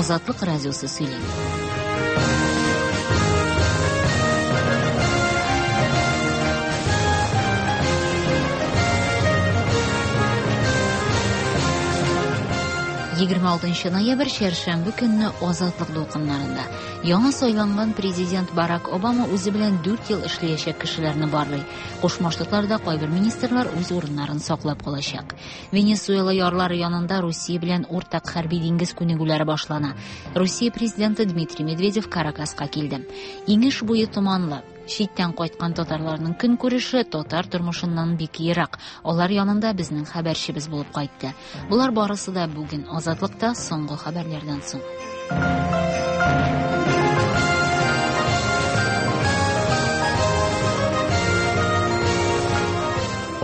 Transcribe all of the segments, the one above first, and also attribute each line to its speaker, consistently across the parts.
Speaker 1: Азатлык радиосы сөйли. 26 ноябрь чәршәмбе көнне Азатлык дулкыннарында. Яңа сайланган президент Барак Обама үзе белән 4 ел эшләячәк кешеләрне барлый. Кушма Штатларда кайбер министрлар үз урыннарын саклап калачак. Венесуэла ярлары янында Русия белән уртак хәрби диңгез күнегүләре башлана. Русия президенты Дмитрий Медведев Каракаска килде. Иңеш буе томанлы. Читтән кайткан татарларның көнкүреше татар тормышыннан бик ерак. Алар янында безнең хәбәрчебез булып кайтты. Болар барысы да бүген Азатлыкта соңгы хәбәрләрдән соң.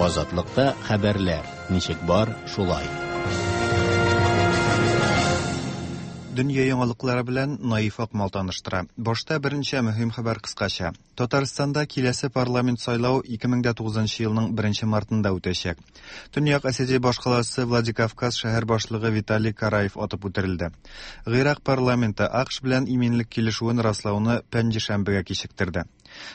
Speaker 2: Азатлыкта хәбәрләр ничек бар, шулай.
Speaker 3: Дөнья яңалыклары белән Наиф Акмал таныштыра. Башта берничә мөһим хәбәр кыскача. Татарстанда киләсе парламент сайлау 2009 елның 1 мартында үтәчәк. Төньяк Осетия башкаласы Владикавказ шәһәр башлыгы Виталий Караев атып үтерелде. Гыйрак парламенты АКШ белән иминлек килешүен раслауны пәнҗешәмбегә кичектерде.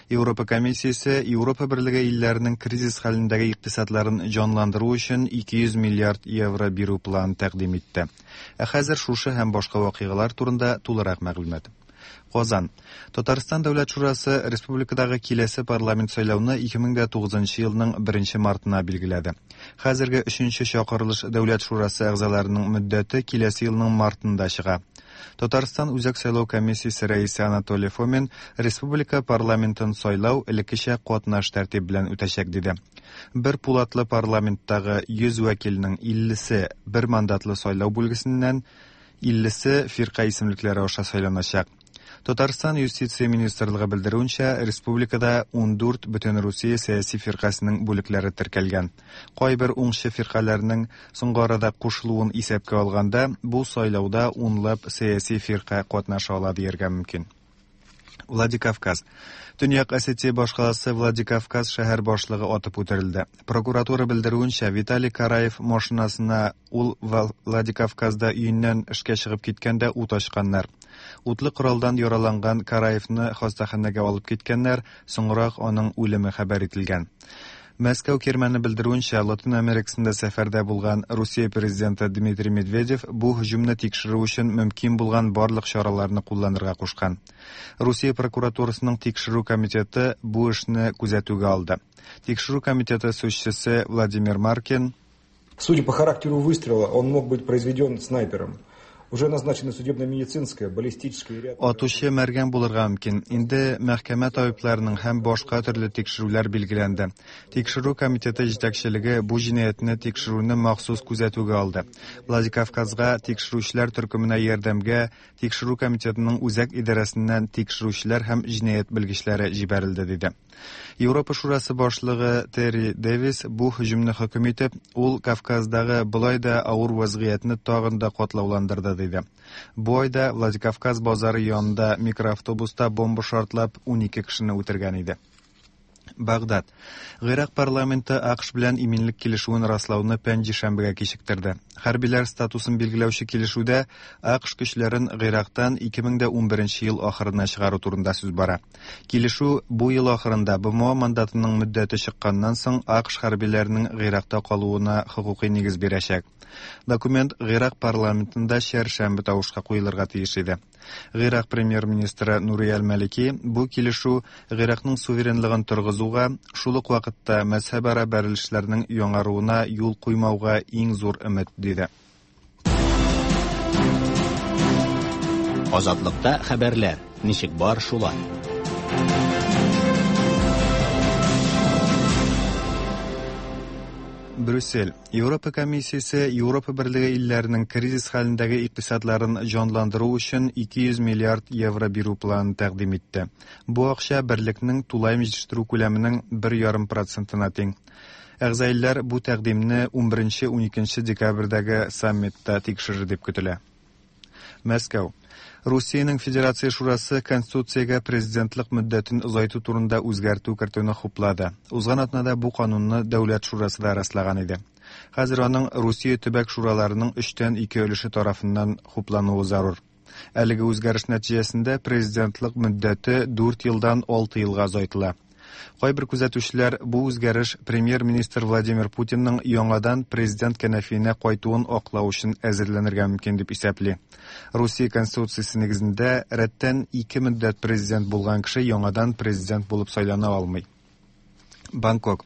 Speaker 3: Европа комиссиясе Европа берлеге илләренең кризис хәлендәге икътисадларын җанландыру өчен 200 миллиард евро бирү планын тәкъдим итте. Ә хәзер шушы һәм башка вакыйгалар турында тулырак мәгълүмат. Казан. Татарстан Дәүләт Шурасы республикадагы киләсе парламент сайлауны 2009 елның 1 мартына билгеләде. Хәзерге 3 чакырылыш Дәүләт Шурасы әгъзаларының мөддәте киләсе елның мартында чыга. Татарстан Үзәк сайлау комиссиясе рәисе Анатолий Фомин республика парламентын сайлау элеккечә катнаш тәртип белән үтәчәк диде. Бер пулатлы парламенттагы 100 вәкилнең 50-се бер мандатлы сайлау бүлгесеннән, 50-се фирка исемлекләре аша сайланачак. Татарстан юстиция министрлыгы белдерүенчә, республикада 14 Бөтенрусия сәяси фиркасының бүлекләре теркәлгән. Кайбер уңчы фиркаләрнең соңгы арада кушылуын исәпкә алганда, бу сайлауда унлап сәяси фирка катнаша ала дияргә мөмкин. Владикавказ. Төньяк Осетия башкаласы Владикавказ шәһәр башлыгы атып үтерелде. Прокуратура белдерүенчә, Виталий Караев машинасына ул Владикавказда өеннән эшкә чыгып киткәндә ут ачканнар. Утлы коралдан яраланган Караевны хастаханәгә алып киткәннәр, соңрак аның үлеме хәбәр ителгән. Мәскәү кирмәне белдерүенчә, Латин Америкасында сәфәрдә булган Русия президенты Дмитрий Медведев бу һөҗүмне тикшерү өчен мөмкин булган барлык чараларны кулланырга кушкан. Русия прокуратурасының тикшерү комитеты бу эшне күзәтүгә алды. Тикшерү комитеты сүзчесе Владимир Маркин
Speaker 4: Судя по характеру выстрела, он мог быть произведен снайпером. Уже назначены судебно-медицинская, баллистическая и ряд...
Speaker 3: Атучы мәргән булырга мөмкин. Инде мәхкәмә табибларының һәм башка төрле тикшерүләр билгеләнде. Тикшерү комитеты җитәкчелеге бу җинаятьне тикшерүне махсус күзәтүгә алды. Владикавказга тикшерүчеләр төркеменә ярдәмгә Тикшерү комитетының үзәк идарәсеннән тикшерүчеләр һәм җинаять белгечләре җибәрелде, диде. Европа Шурасы башлыгы Терри Дэвис бу һөҗүмне хөкем итеп, ул Кавказдагы болай да авыр вазгыятьне тагын да катлауландырды, диде. Бу айда Владикавказ базары янында микроавтобуста бомба шартлап 12 кешене үтергән иде. Багдад. Гыйрак парламенты АКШ белән иминлек килешүен раслауны пәнҗешәмбегә кичектерде. Хәрбиләр статусын билгеләүче килешүдә АКШ көчләрен Гыйрактан 2011 ел ахырына чыгару турында сүз бара. Килешү бу ел ахырында БМО мандатының мөддәте чыкканнан соң АКШ хәрбиләренең Гыйракта калуына хокукый нигез бирәчәк. Документ Гыйрак парламентында чәршәмбе тавышка куелырга тиеш иде. Гыйрак премьер-министры Нури әл-Малики бу килешү Гыйракның суверенлыгын торгызуга, шул ук вакытта мәзһәбара бәрелешләрнең яңаруына юл куймауга иң зур өмет, диде.
Speaker 2: Азатлыкта хәбәрләр ничек бар, шулай.
Speaker 3: Брюссель. Европа комиссиясе Европа берлеге илләренең кризис хәлендәге икътисадларын җанландыру өчен 200 миллиард евро бирү планын тәкъдим итте. Бу акча берлекнең тулаем җитештерү күләменең 1,5 процентына тиң. Әгъза илләр бу тәкъдимне 11-12 декабрьдәге саммитта тикшерер дип көтелә. Мәскәү. Русиянең Федерация Шурасы Конституциягә президентлык мөддәтен озайту турында үзгәртү кертүне хуплады. Узган атнада бу канунны Дәүләт Шурасы да раслаган иде. Хәзер аның Русия төбәк шураларының өчтән ике өлеше тарафыннан хуплануы зарур. Әлеге үзгәреш нәтиҗәсендә президентлык мөддәте 4 елдан 6 елга озайтыла. Кайбер күзәтүчеләр бу үзгәреш премьер-министр Владимир Путинның яңадан президент кәнәфиенә кайтуын аклау өчен әзерләнергә мөмкин дип исәпли. Русия Конституциясе нигезендә рәттән ике мөддәт президент булган кеше яңадан президент булып сайлана алмый. Бангкок.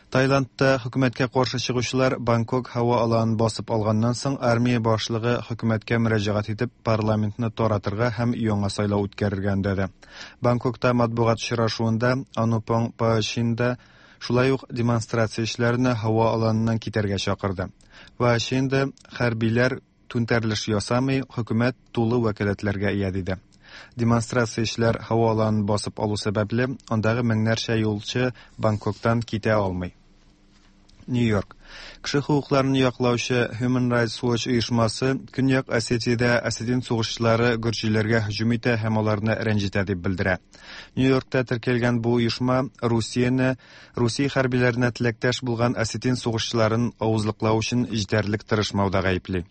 Speaker 3: Таиландта хөкүмәткә каршы чыгучылар Бангкок һава аланын басып алганнан соң армия башлыгы хөкүмәткә мөрәҗәгать итеп парламентны таратырга һәм яңа сайлау үткәрергә өндәде. Бангкокта матбугат очрашуында Анупong Паачинда шулай ук демонстрациячеләрне һава аланыннан китәргә чакырды. Паачинда хәрбиләр түнтәрелеш ясамый, хөкүмәт тулы вәкаләтләргә ия диде. Демонстрациячеләр һава аланын басып алу сәбәпле, андагы меңнәрчә юлчы Бангкоктан китә алмый. Нью-Йорк. Кеше хокукларын яклаучы Human Rights Watch оешмасы Көньяк Осетиядә осетин сугышчылары гөрҗиләргә һөҗүм итә һәм аларны рәнҗетә дип белдерә. Нью-Йоркта теркәлгән бу оешма Русияне Русия хәрбиләренә теләктәш булган осетин сугышчыларын авызлыклау өчен җитәрлек тырышмауда гаепли.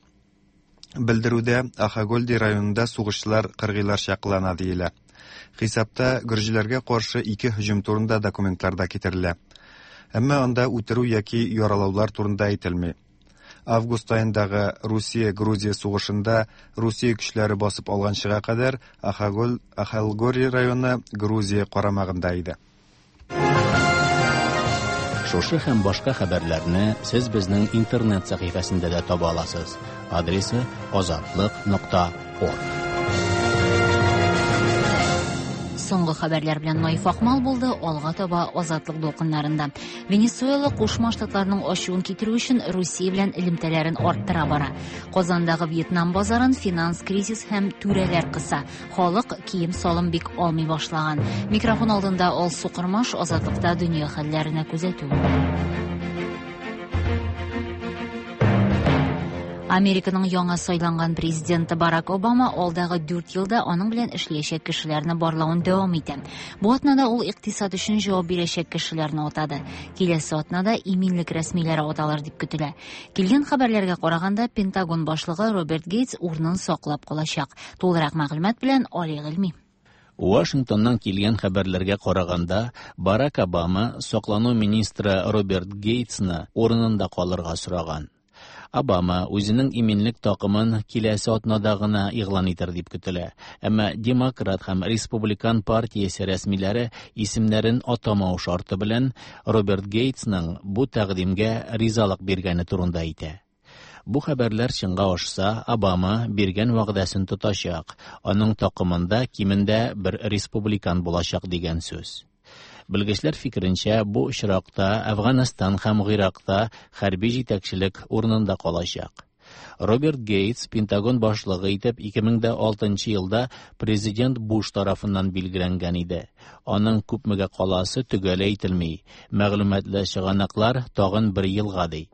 Speaker 3: Белдерүдә Ахагольди районында сугышчылар кыргыйларча кылана диелә. Хисапта гөрҗиләргә каршы ике һөҗүм турында документлар да китерелә. Әмма анда үтерү яки яралаулар турында әйтелми. Август аендагы Русия-Грузия сугышында Русия көчләре басып алганчыга кадәр Ахагол Ахалгори районы Грузия карамагында иде.
Speaker 2: Шушы һәм башка хәбәрләрне сез безнең интернет сәхифәсендә дә таба аласыз. Адресы azatliq.org.
Speaker 1: Соңгы хәбәрләр белән Наиф Акмал булды, алга таба Азатлык дулкыннарында. Венесуэла Кушма Штатларның ачуын китерү өчен Русия белән элемтәләрен арттыра бара. Казандагы Вьетнам базарын финанс кризис һәм түрәләр кыса. Халык кием-салым бик алмый башлаган. Микрофон алдында Алсу Кормаш, Азатлыкта дөнья хәлләренә күзәтү. Американың яңа сайланган президенты Барак Обама алдагы 4 елда аның белән эшләячәк кешеләрне барлавын дәвам итә. Бу атнада ул икътисад өчен җавап бирәчәк кешеләрне атады. Киләсе атнада иминлек рәсмиләре аталыр дип көтелә. Килгән хәбәрләргә караганда, Пентагон башлыгы Роберт Гейтс урынын саклап калачак. Тулырак мәгълүмат белән Али Гыйльми.
Speaker 2: Вашингтоннан килгән хәбәрләргә караганда, Барак Обама саклану министры Роберт Гейтсны урынында калырга сораган. Обама үзенең иминлек такымын киләсе атнада гына игълан итер дип көтелә. Әмма Демократ һәм Республикан партиясе рәсмиләре исемнәрен атамау шарты белән Роберт Гейтсның бу тәкъдимгә ризалык биргәне турында әйтә. Бу хәбәрләр чынга ашса, Обама биргән вәгъдәсен тотачак. Аның такымында кимендә бер республикан булачак дигән сүз. Белгечләр фикеренчә, бу очракта Әфганстан һәм Гыйракта хәрби җитәкчелек урынында калачак. Роберт Гейтс Пентагон башлыгы итеп 2006 елда президент Буш тарафыннан билгеләнгән иде. Аның күпмегә каласы төгәл әйтелми. Мәгълүматлы чыганаклар тагын бер елга ди.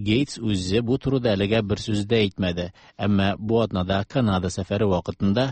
Speaker 2: Гейтс үзе бу турыда әлегә бер сүз дә әйтмәде, әмма бу атнада Канада сәфәре вакытында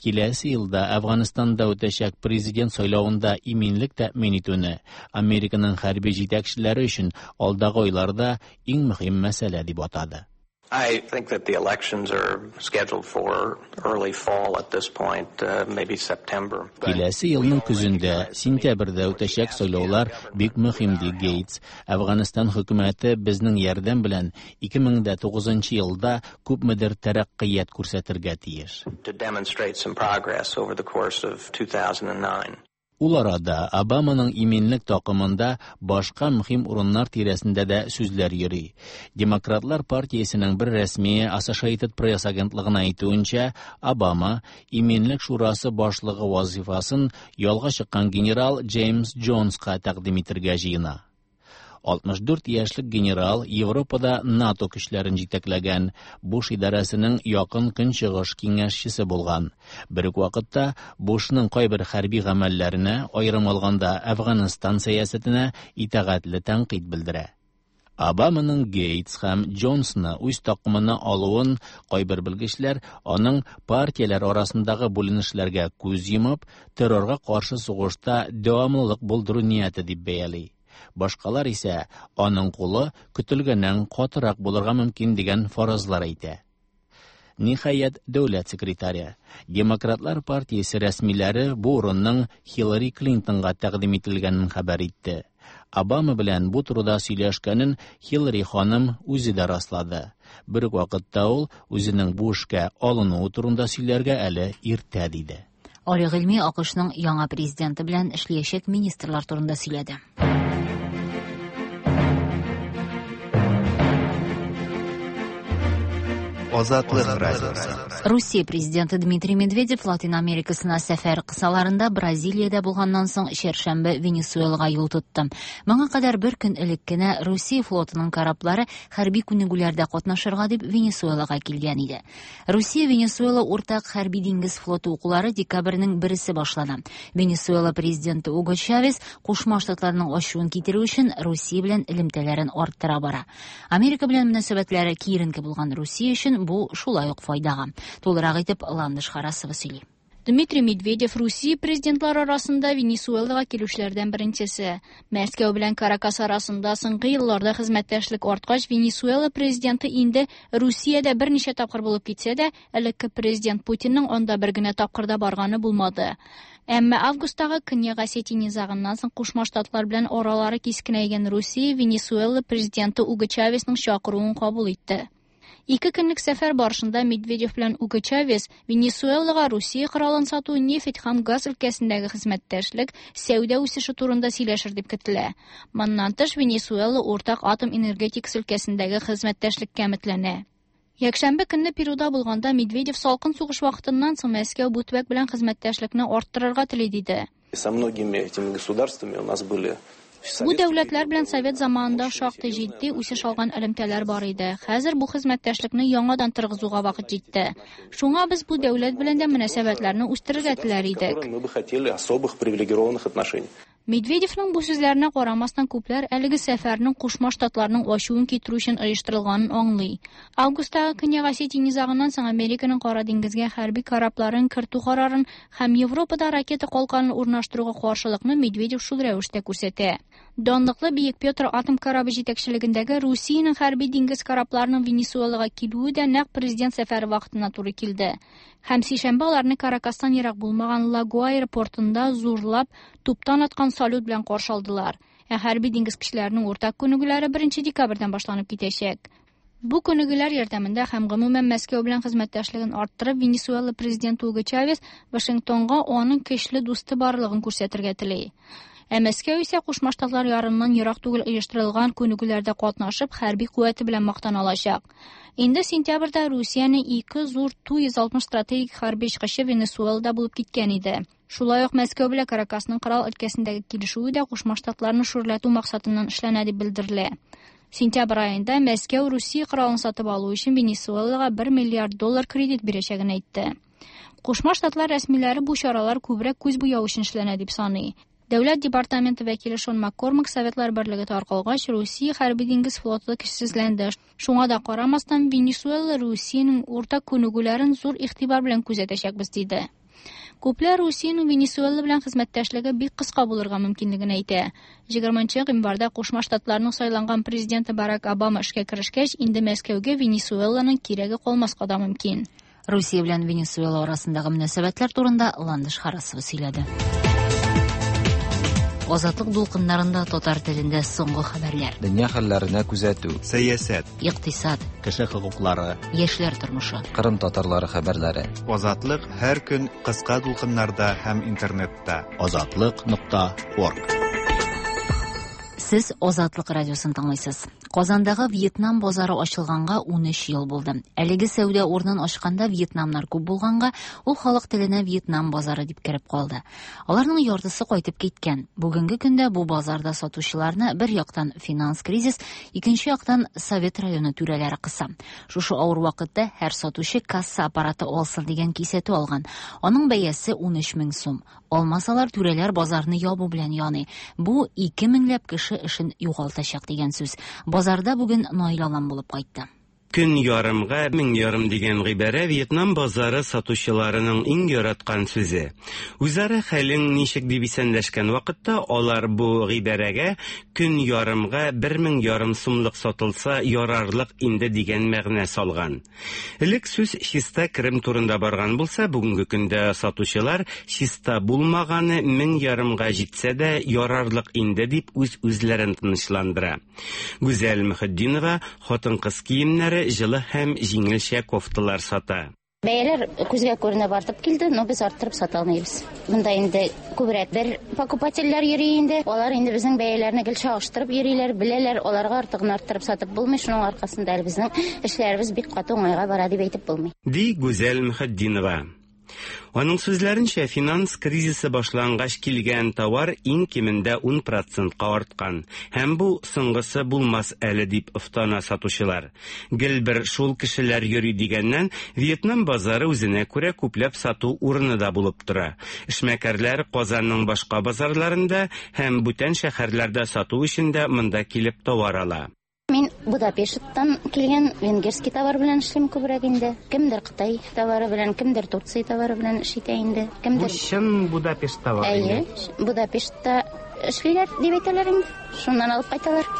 Speaker 2: киләсе елда Әфганстанда үтәчәк президент сайлавында иминлек тәэмин итүне Американың хәрби җитәкчеләре өчен алдагы айларда иң мөһим мәсьәлә дип атады.
Speaker 5: I think that the elections are scheduled for early fall at this point, maybe September.
Speaker 2: Киләсе елның көзендә, сентябрьдә үтәчәк сайлаулар бик мөһим, ди Гейтс. Әфганстан хөкүмәте безнең ярдәм белән 2009 елда күпмедер тәрәккыят күрсәтергә тиеш.
Speaker 5: To demonstrate some progress over the course of 2009.
Speaker 2: Ул арада Обаманың иминлек такымында башка мөһим урыннар тирәсендә дә сүзләр йөри. Демократлар партиясенең бер рәсмие Associated Press агентлыгына әйтүенчә, Обама иминлек шурасы башлыгы вазифасын ялга чыккан генерал Джеймс Джонска тәкъдим итергә җыена. 64 яшьлек генерал Европада НАТО көчләрен җитәкләгән, Буш идарәсенең якын көнчыгыш киңәшчесе булган. Бер үк вакытта Бушның кайбер хәрби гамәлләренә, аерым алганда Әфганстан сәясәтенә итагатьле тәнкыйть белдерә. Обаманың Гейтс һәм Джонсны үз такымына алуын кайбер белгечләр аның партияләр арасындагы бүленешләргә күз йомып, террорга каршы сугышта дәвамлылык булдыру нияте дип бәяли. Башкалар исә аның кулы көтелгәннән катырак булырга мөмкин дигән фаразлар әйтә. Ниһаять, дәүләт секретаре. Демократлар партиясе рәсмиләре бу урынның Хиллари Клинтонга тәкъдим ителгәнен хәбәр итте. Обама белән бу турыда сөйләшкәнен Хиллари ханым үзе дә раслады. Бер үк вакытта ул үзенең бу эшкә алынуы турында сөйләргә әле иртә диде.
Speaker 1: Али Гыйльми АКШның яңа президенты белән эшләячәк министрлар турында сөйләде.
Speaker 3: Азатлык радиосы.
Speaker 1: Русия президенты Дмитрий Медведев Латин Америкасына сәфәр кысаларында Бразилиядә булганнан соң чәршәмбе Венесуэлага юл тотты. Моңа кадәр бер көн элек кенә Русия флотының кораблары хәрби күнегүләрдә катнашырга дип Венесуэлага килгән иде. Русия Венесуэла уртак хәрби диңгез флоты укулары декабрьнең бересе башлана. Венесуэла президенты Уго Чавес Кушма Штатларның ачуын китерү өчен Русия белән элемтәләрен арттыра бара. Америка белән мөнәсәбәтләре киеренке булган Русия өчен бу шулай ук файдага. Тулырак итеп Ландыш Харасова сөйли.
Speaker 6: Дмитрий Медведев Русия президентлары арасында Венесуэлага килүчеләрдән беренчесе. Мәскәү белән Каракас арасында соңгы елларда хезмәттәшлек арткач, Венесуэла президенты инде Русиядә берничә тапкыр булып китсә дә, элекке президент Путинның анда бер генә тапкыр да барганы булмады. Әмма августтагы Көньяк Осетия низагыннан соң Кушма Штатлар белән аралары кискенәйгән Русия Венесуэла президенты Уго Чавесның чакыруын кабул итте. Ике көнлек сәфәр барышында Медведев белән Уго Чавес Венесуэлага Русия коралын сату, нефть һәм газ өлкәсендәге хезмәттәшлек, сәүдә үсеше турында сөйләшер дип көтелә. Моннан тыш, Венесуэла уртак атом энергетикасы өлкәсендәге хезмәттәшлеккә өметләнә. Якшәмбе көнне Перуда булганда Медведев салкын сугыш вакытыннан соң Мәскәү бу төбәк белән хезмәттәшлекне арттырырга тели диде.
Speaker 7: Со многими этими государствами у нас были
Speaker 6: Бу дәүләтләр белән совет заманында шактый җитди үсеш алган элемтәләр бар иде. Хәзер бу хезмәттәшлекне яңадан торгызуга вакыт җитте. Шуңа без бу дәүләт белән дә мөнәсәбәтләрне үстерергә теләр идек.
Speaker 7: Мы бы хотели особых привилегированных отношений.
Speaker 6: Медведевның бу сүзләренә карамастан, күпләр әлеге сәфәрнең Кушма Штатларның ачуын китерү өчен оештырылганын аңлый. Августтагы Көньяк Осетия низагыннан соң Американың Кара диңгезгә хәрби корабларын кертү карарын һәм Европада ракета калканын урнаштыруга каршылыкны Медведев шул рәвештә күрсәтә. Данлыклы Бөек Петр атом корабы җитәкчелегендәге Русиянең хәрби диңгез корабларының Венесуэлага килүе дә нәкъ президент сәфәре вакытына туры килде. Һәм сишәмбе аларны Каракастан ерак булмаган Ла-Гуайра портында зурлап туптан аткан салют белән каршы алдылар. Ә хәрби диңгез көчләренең уртак күнегүләре 1 декабрьдән башланып китәчәк. Бу күнегүләр ярдәмендә һәм гомумән Мәскәү белән хезмәттәшлеген арттырып, Венесуэла президенты Уго Чавес Вашингтонга аның көчле дусты барлыгын күрсәтергә тели. Ә Мәскәү исә Кушма Штатлар ярыннан ерак түгел оештырылган күнегүләрдә катнашып, хәрби куәте белән мактана алачак. Инде сентябрьдә Русиянең ике зур Ту-160 стратегик хәрби очкычы Венесуэлада булып киткән иде. Шулай ук Мәскәү белән Каракасның корал өлкәсендәге килешүе дә Кушма Штатларны шүрләтү максатыннан эшләнә дип белдерелә. Сентябрь аенда Мәскәү Русия коралын сатып алу өчен Венесуэлага 1 миллиард доллар кредит бирәчәген әйтте. Кушма Штатлар рәсмиләре бу чаралар күбрәк күз буяу өчен эшләнә дип саный. Дәүләт департаменты вәкиле Шон Маккормак Советлар Берлеге таркалгач, Русия хәрби диңгез флоты көчсезләнде. Шуңа да карамастан, Венесуэла Русиянең уртак күнегүләрен зур игътибар белән күзәтәчәкбез диде. Күпләр Русиянең Венесуэла белән хезмәттәшлеге бик кыска булырга мөмкинлеген әйтә. 20 гыйнварда Кушма Штатларның сайланган президенты Барак Обама эшкә керешкәч, инде Мәскәүгә Венесуэланың кирәге калмаска да мөмкин.
Speaker 1: Русия белән Венесуэла арасындагы мөнәсәбәтләр турында Ландыш Харасова сөйләде. Азатлык дулкыннарында татар телендә соңгы хәбәрләр.
Speaker 8: Дөнья хәлләренә күзәтү.
Speaker 3: Сәясәт.
Speaker 1: Икътисад.
Speaker 2: Кеше хокуклары.
Speaker 1: Яшьләр тормышы.
Speaker 8: Кырым татарлары хәбәрләре.
Speaker 3: Азатлык һәр көн кыска дулкыннарда һәм интернетта.
Speaker 2: Азатлык.орг.
Speaker 1: Сез Азатлык радиосын тыңлыйсыз. Казандагы Вьетнам базары ачылганга 13 ел булды. Әлеге сәүдә урынын ачканда вьетнамнар күп булганга, ул халык теленә Вьетнам базары дип кереп калды. Аларның яртысы кайтып киткән. Бүгенге көндә бу базарда сатучыларны бер яктан финанс кризис, икенче яктан Совет районы түрәләре кыса. Шушы авыр вакытта һәр сатучы касса аппараты алсын дигән кисәтү алган. Аның бәясе 13 мең сум. Алмасалар, түрәләр базарны ябу белән яный. Бу 2 меңләп кеше эшен югалтачак дигән сүз. Базарда бүген Наил Алан булып кайтты.
Speaker 9: Көн ярымга 1500 дигән гыйбарә Вьетнам базары сатучыларының иң яраткан сүзе. Үзара хәлең ничек дип исәнләшкән вакытта алар бу гыйбарәгә көн ярымга 1500 сумлык сатылса ярарлык инде дигән мәгънә салган. Элек сүз чиста керем турында барган булса, бүгенге көндә сатучылар чиста булмаганы 1500-га җитсә дә ярарлык инде дип үз-үзләрен тынычландыра. Гүзәл Мөхетдинова хатын-кыз киемнәре, җылы һәм җиңелчә кофталар сата.
Speaker 10: Бәяләр күзгә күренеп артып килде, но без арттырып сата алмыйбыз. Монда инде күбрәк бер покупательләр йөри инде. Алар инде безнең бәяләрне гел чагыштырып йөриләр, беләләр, аларга артыгын арттырып сатып булмый. Шуның аркасында әле безнең эшләребез бик каты уңайга бара дип әйтеп булмый.
Speaker 9: Ди Гүзәл Мөхетдинова. Аның сүзләренчә, финанс кризисы башлангач килгән товар иң кимендә 10 процентка арткан. Һәм бу соңгысы булмас әле дип офтана сатучылар. Гел бер шул кешеләр йөри дигәннән, Вьетнам базары үзенә күрә күпләп сату урыны да булып тора. Эшмәкәрләр Казанның башка базарларында һәм бүтән шәһәрләрдә сату өчен дә монда килеп товар ала.
Speaker 10: Мин Будапешттан килгән венгерский товар белән эшлим күбрәк инде. Кемдер Кытай товары белән, кемдер Турция товары белән эш итә инде. Кемдер
Speaker 9: Бу чын Будапешт товары.
Speaker 10: Әйе, Будапештта эшлиләр дип әйтәләр инде. Шуннан алып кайталар.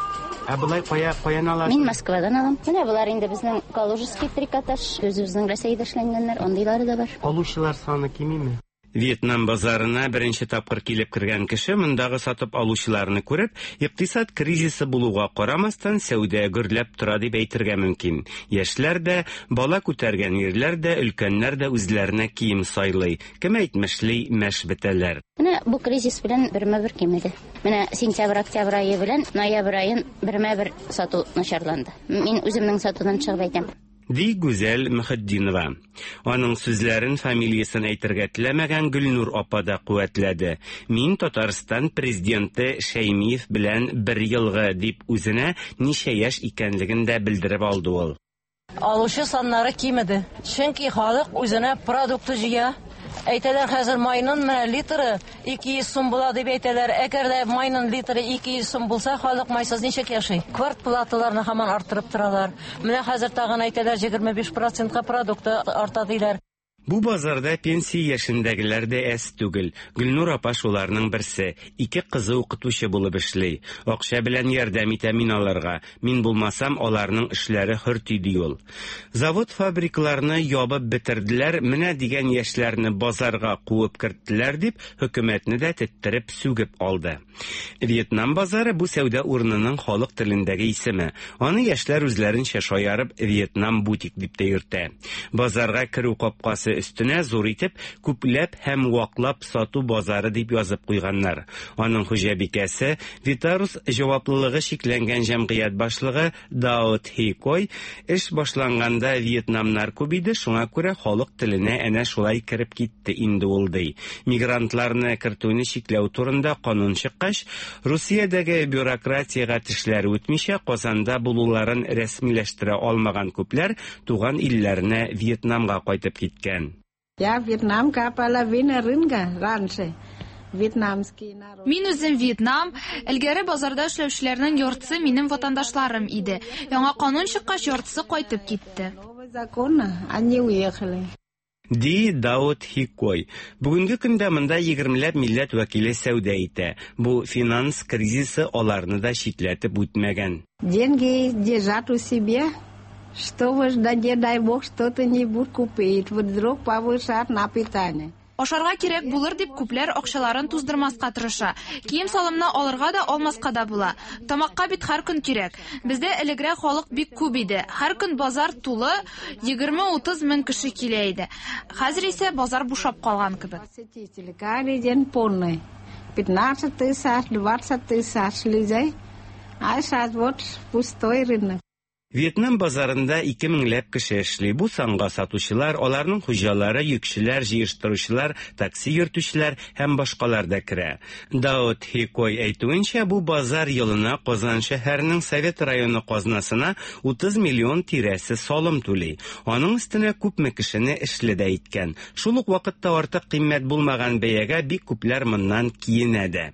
Speaker 9: Ә болай кая каян аласыз?
Speaker 10: Мин Москвадан алам. Менә болар инде безнең Калужский трикотаж, үзебезнең Рәсәйдә эшләнгәннәр, андыйлары да бар.
Speaker 9: Алучылар саны кимиме? Вьетнам базарына беренче тапкыр килеп кергән кеше мондагы сатып алучыларны күреп, икътисад кризисы булуга карамастан, сәүдә гөрләп тора дип әйтергә мөмкин. Яшьләр дә, бала күтәргән ирләр дә, өлкәннәр дә үзләренә кием сайлый. Кем әйтмешли, мәш бетәләр.
Speaker 10: Менә бу кризис белән бермә-бер кимеде. Менә сентябрь-октябрь ае белән ноябрь аен бермә-бер сату начарланды. Мин үземнең сатудан чыгып әйтәм.
Speaker 9: Ди Гүзәл Мөхетдинова. Аның сүзләрен фамилиясен әйтергә теләмәгән Гөлнур апа да куәтләде. Мин Татарстан президенты Шәймиев белән бер елгы дип үзенә ничә яшь икәнлеген дә белдереп алды ул.
Speaker 11: Алучы саннары кимеде. Чөнки халык үзенә продукты җыя. Әйтәләр, хәзер майның менә литры 200 сум була дип әйтәләр. Әгәр дә майның литры 200 сум булса, халык майсыз ничек яши? Квартплаталарны һаман арттырып торалар. Менә хәзер тагын әйтәләр, 25%-ка продукты арта диләр.
Speaker 9: Бу базарда пенсия яшендәгеләр дә әз түгел. Гөлнур апа шуларның берсе. Ике кызы укытучы булып эшли. Акча белән ярдәм итә мин аларга. Мин булмасам, аларның эшләре хөрти ди ул. Завод-фабрикаларны ябып бетерделәр, менә дигән яшьләрне базарга куып керттеләр дип, хөкүмәтне дә теттереп сүгеп алды. Вьетнам базары бу сәүдә урынының халык телендәге исеме. Аны яшьләр үзләренчә шаярып Вьетнам бутик дип тә йөртә. Базарга керү капкасы өстенә зур итеп күпләп һәм ваклап сату базары дип язып куйганнар. Аның хуҗабикәсе Витарус җаваплылыгы чикләнгән җәмгыять башлыгы Дао Тхи Кой эш башланганда вьетнамнар күп иде, шуңа күрә халык теленә әнә шулай кереп китте инде ул ди. Мигрантларны кертүне чикләү турында канун чыккач, Русиядәге бюрократиягә тешләре үтмичә Казанда булуларын рәсмиләштерә алмаган күпләр туган илләренә Вьетнамга кайтып киткән.
Speaker 12: Я вьетнамка половина рынка раньше. Вьетнамский народ.
Speaker 13: Мин үзем Вьетнам, элгәре базарда эшләүчеләрнең яртысы минем ватандашларым иде. Яңа канун чыккач, яртысы кайтып китте.
Speaker 12: Новый закон, они уехали.
Speaker 9: Ди Дао Тхи Кой. Бүгенге көндә монда 20ләп милләт вәкиле сәүдә итә. Бу финанс кризисы аларны да читләтеп үтмәгән.
Speaker 12: Деньги держат у себя, чтобы, да не дай бог, что-то не будут купить, вдруг повышат на питание.
Speaker 13: Ашарга кирәк булыр дип күпләр акчаларын туздырмаска тырыша. Кием-салымны алырга да, алмаска да була. Тамакка бит һәр көн кирәк. Бездә элегрәк халык бик күп иде. Һәр көн базар тулы, 20-30 мең кеше килә иде. Хәзер исә базар бушап калган кебек.
Speaker 12: Посетители каждый день полный. 15 тысяч, 20 тысяч людей. А сейчас вот пустой рынок.
Speaker 9: Вьетнам базарында 2 меңләп кеше эшли. Бу санга сатучылар, аларның хуҗалары, йөкчеләр, җыештыручылар, такси йөртүчеләр һәм башкалар да керә. Дао Тхи Кой әйтүенчә, бу базар елына Казан шәһәренең Совет районы казнасына 30 миллион тирәсе салым түли. Аның өстенә күпме кешене эшле дә иткән. Шул ук вакытта артык кыйммәт булмаган бәягә бик күпләр моннан киенә дә.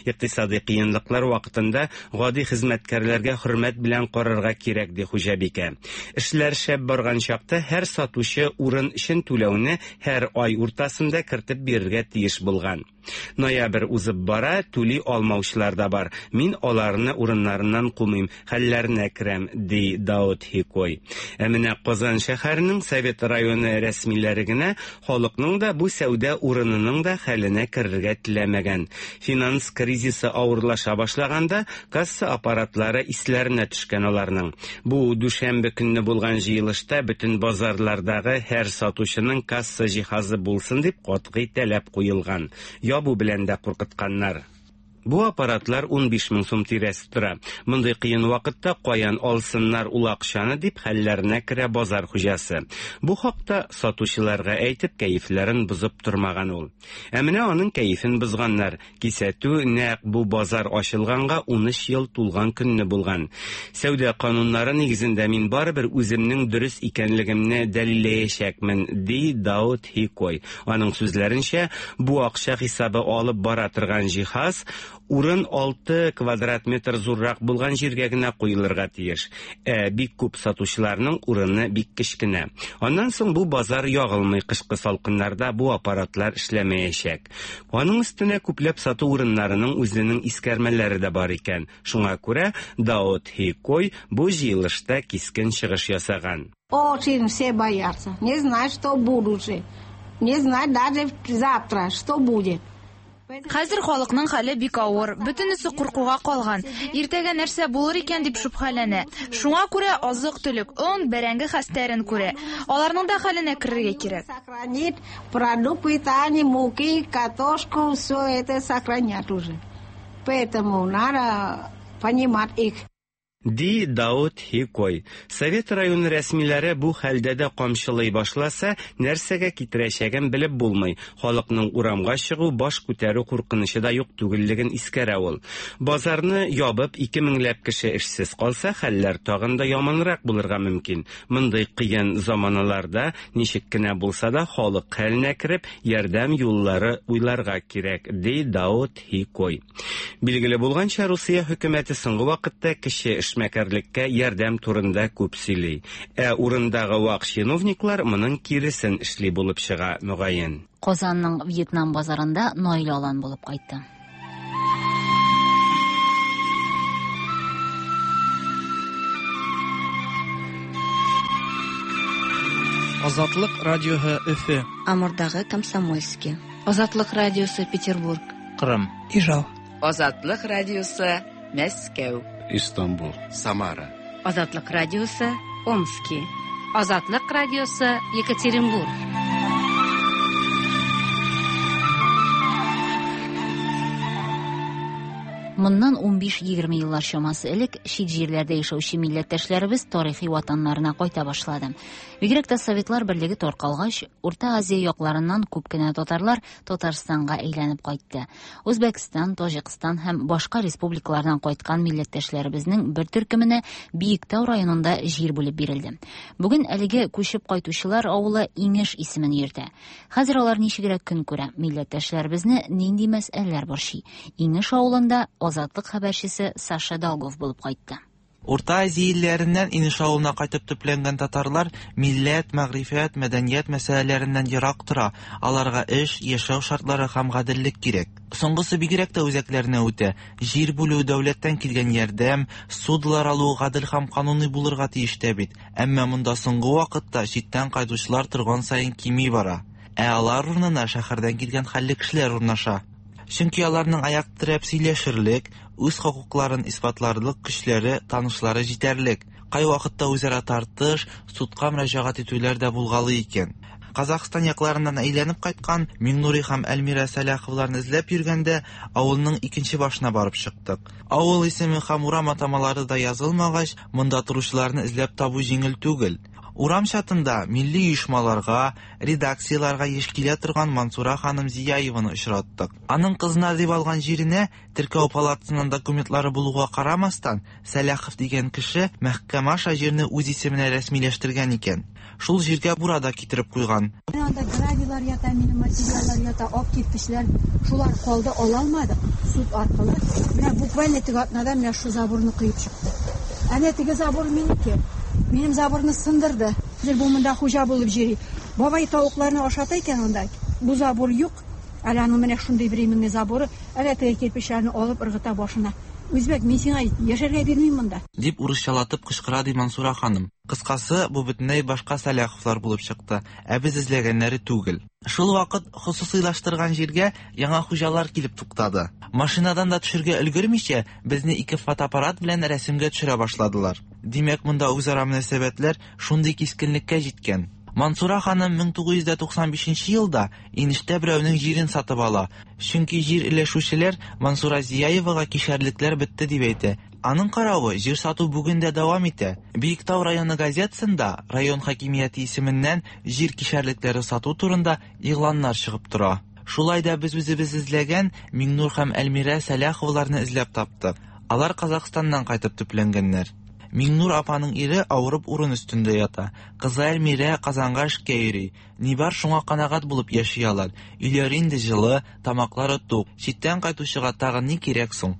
Speaker 9: Икътисадый кыенлыклар вакытында гади хезмәткәрләргә хөрмәт белән карарга кирәк, ди хуҗабикә. Эшләр шәп барган чакта һәр сатучы урын өчен түләүне һәр ай уртасында кертеп бирергә тиеш булган. Ноябрь узып бара, түли алмаучылар да бар. Мин аларны урыннарыннан кумыйм, хәлләренә керәм, ди Даут Хикой. Ә менә Казан шәһәренең Совет районы рәсмиләре генә халыкның да, бу сәүдә урынының да хәленә керергә теләмәгән. Финанс кризисы авырлаша башлаганда, касса аппаратлары исләренә төшкән аларның. Бу дүшәмбе көнне булган җыелышта бөтен базарлардагы һәр сатучының касса җиһазы булсын дип катгый таләп куелган. Ябу белән дә куркытканнар. Бу аппаратлар 15 мең сум тирәсе тора. Мондый кыен вакытта каян алсыннар ул акчаны дип хәлләренә керә базар хуҗасы. Бу хакта сатучыларга әйтеп кәефләрен бозып тормаган ул. Ә менә аның кәефен бозганнар. Кисәтү нәкъ бу базар ачылганга 13 ел тулган көнне булган. Сәүдә кануннары нигезендә мин барыбер үземнең дөрес икәнлегемне дәлилләячәкмен, ди Даут Хикой. Аның сүзләренчә, бу акча хисабы алып бара торган җиһаз урын 6 квадрат метр зуррак булган җиргә генә куелырга тиеш. Ә бик күп сатучыларның урыны бик кечкенә. Аннан соң бу базар ягылмый, кышкы салкыннарда бу аппаратлар эшләмәячәк. Аның өстенә күпләп сату урыннарының үзенең искәрмәләре дә бар икән. Шуңа күрә Даут Хикой бу җыелышта кискен чыгыш ясаган.
Speaker 12: Очень все боятся. Не знают, что будущее. Не знают даже завтра, что будет.
Speaker 13: Хәзер халыкның хәле бик авыр. Бөтенесе куркуга калган. Иртәгә нәрсә булыр икән дип шөбһәләнә. Шуңа күрә азык-төлек, он, бәрәңге хәстәрен күрә. Аларның да хәленә керергә кирәк.
Speaker 12: Сохранить продукт питания, муки, картошку, все это сохранять уже. Поэтому надо понимать их.
Speaker 9: Ди Даут Хикой. Совет районы рәсмиләре бу хәлдә дә камчылый башласа, нәрсәгә китерәчәген белеп булмый. Халыкның урамга чыгу, баш күтәрү куркынычы да юк түгеллеген искәрә ул. Базарны ябып, 2 меңләп кеше эшсез калса, хәлләр тагын да яманрак булырга мөмкин. Мондый кыен заманаларда ничек кенә булса да халык хәленә кереп, ярдәм юллары уйларга кирәк, ди Даут Хикой. Билгеле булганча, Русия хөкүмәте соңгы вакытта кече эшмәкәрлеккә ярдәм турында күп сөйли. Ә урындагы вак чиновниклар моның киресен эшли булып чыга, мөгаен.
Speaker 1: Казанның Вьетнам базарында Наил Алан булып кайтты.
Speaker 14: Азатлык радиоһы Өфе.
Speaker 15: Амурдагы Комсомольский. Азатлык радиосы Петербург.
Speaker 14: Кырым. Ижау.
Speaker 16: Азатлык радиосы Мәскәү.
Speaker 17: Истанбул. Самара.
Speaker 18: Азатлык радиосы Омски. Азатлык радиосы Екатеринбург.
Speaker 1: Моннан 15-20 еллар чамасы элек чит җирләрдә яшәүче милләттәшләребез тарихи ватаннарына кайта башлады. Бигрәк тә Советлар берлеге таркалгач, Урта Азия якларыннан күп кенә татарлар Татарстанга әйләнеп кайтты. Үзбәкстан, Таҗикстан һәм башка республикалардан кайткан милләттәшләребезнең бер төркеменә Биектау районында җир бүлеп бирелде. Бүген әлеге күчеп кайтучылар авылы Иңеш исемен йөртә. Хәзер алар ничегрәк көн күрә? Милләттәшләребезне нинди мәсьәләләр борчый? Иңеш авылында Азатлык хәбәрчесе Саша Долгов булып кайтты.
Speaker 19: Урта Азия илләреннән Инеш авылына кайтып төпләнгән татарлар милләт, мәгърифәт, мәдәният мәсьәләләреннән ерак тора. Аларга эш, яшәү шартлары һәм гаделлек кирәк. Соңгысы бигрәк тә үзәкләренә үтә. Җир бүлү, дәүләттән килгән ярдәм, ссудалар алу гадел һәм кануни булырга тиеш тә бит. Әмма монда соңгы вакытта читтән кайтучылар торган саен кими бара. Ә алар урынына шәһәрдән килгән хәлле кешеләр урнаша. Чөнки аларның аяк терәп сөйләшерлек, үз хокукларын исбатларлык көчләре, танышлары җитәрлек. Кайвакытта үзара тартыш, судка мөрәҗәгать итүләр дә булгалый икән. Казахстан якларыннан әйләнеп кайткан Миңнури һәм Әлмира Сәлаховларны эзләп йөргәндә авылның икенче башына барып чыктык. Авыл исеме һәм урам атамалары да язылмагач, монда торучыларны эзләп табу җиңел түгел. Урам чатында милли оешмаларга, редакцияларга еш килә торган Мансура ханым Зияеваны очраттык. Аның кызына дип алган җиренә теркәү палатасыннан документлары булуга карамастан, Сәлахов дигән кеше мәхкәмә аша җирне үз исеменә рәсмиләштергән икән. Шул җиргә бура да китереп куйган.
Speaker 20: Менә анда гравийлар ята, минем материаллар ята, ак кирпечләр. Шулар калды, ала алмадык суд аркылы. Менә буквально теге атнада менә шу заборны коеп чыкты. Әнә теге забор минеке. Минем заборны сындырды. Хәзер бу монда хуҗа булып йөри. Бабай тавыкларны ашата икән анда. Бу забор юк. Әле аның менә шундый временный заборы. Әле теге кирпечләрне алып ыргыта башына. Үзбәк, мин сиңа яшәргә бирмим монда.
Speaker 19: Дип урысчалатып кычкыра ди Мансура ханым. Кыскасы, бу бөтенләй башка Сәлаховлар булып чыкты, ә без эзләгәннәре түгел. Шул вакыт хосусыйлаштырган җиргә яңа хуҗалар килеп туктады. Машинадан да төшергә өлгермичә, безне ике фотоаппарат белән рәсемгә төшерә башладылар. Димәк, монда үзара мөнәсәбәтләр шундый кискенлеккә җиткән. Мансура ханым 1995 елда Инештә берәүнең җирен сатып ала. Чөнки җир өләшүчеләр Мансура Зияевага кишәрлекләр бетте дип әйтә. Аның каравы, җир сату бүген дә дәвам итә. Биектау районы газетасында район хакимияте исеменнән җир кишәрлекләре сату турында игъланнар чыгып тора. Шулай да без үзебез эзләгән Миңнур һәм Әлмирә Сәлаховаларны эзләп таптык. Алар Казахстаннан кайтып төпләнгәннәр. Миңнур апаның ире авырып урын өстендә ята. Кызы Әлмирә Казанга эшкә йөри. Ни бар, шуңа канәгать булып яши алар. Өйләре инде җылы, тамаклары тук. Читтән кайтучыга тагын ни кирәк соң?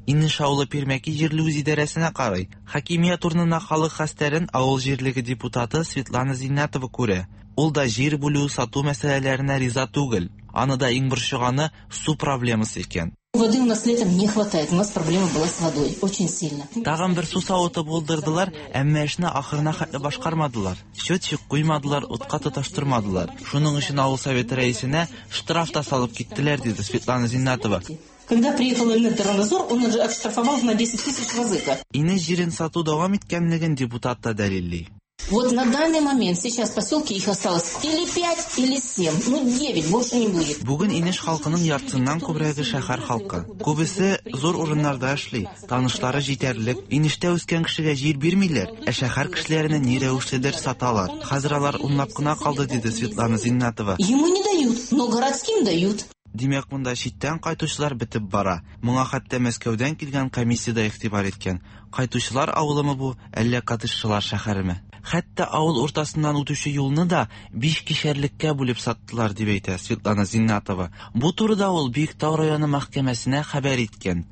Speaker 19: Инеш авылы Пирмәки җирле үзидарәсенә карый. Хакимият урынына халык хәстәрен авыл җирлеге депутаты Светлана Зиннәтова күрә. Ул да җир бүлү, сату мәсьәләләренә риза түгел. Аны да иң борчыганы су проблемасы икән.
Speaker 21: Воды у нас летом не хватает. У нас проблема была с водой. Очень сильно.
Speaker 19: Тагын бер су савыты булдырдылар, әмма эшне ахырына хәтле башкармадылар. Счетчик куймадылар, утка тоташтырмадылар. Шуның өчен авыл советы рәисенә штраф та салып киттеләр, диде Светлана Зиннатова.
Speaker 21: Когда приехал Эльнадзор, он уже оштрафовал на 10 тысяч разыка.
Speaker 19: Инеш җирен сату дәвам иткәнлеген депутат та дәлилли.
Speaker 21: Вот на данный момент сейчас в поселке их осталось или 5, или 7, ну 9, больше не будет.
Speaker 19: Бүген Инеш халкының яртысыннан күбрәге шәһәр халкы. Күбесе зур урыннарда эшли, танышлары җитәрлек. Инештә үскән кешегә җир бирмиләр, ә шәһәр кешеләренә ни рәвешледер саталар. Хәзер алар унлап кына калды, диде Светлана Зиннатова.
Speaker 21: Ему не дают, но городским дают.
Speaker 19: Димәк, монда читтән кайтучылар бетеп бара. Моңа хәтта Мәскәүдән килгән комиссия дә игътибар иткән. Кайтучылар авылымы бу, әллә коттеджчылар шәһәреме? Хәтта авыл уртасыннан үтүче юлны да биш кишәрлеккә бүлеп саттылар, дип әйтә Светлана Зиннатова. Бу турыда ул Биектау районы мәхкәмәсенә хәбәр иткән.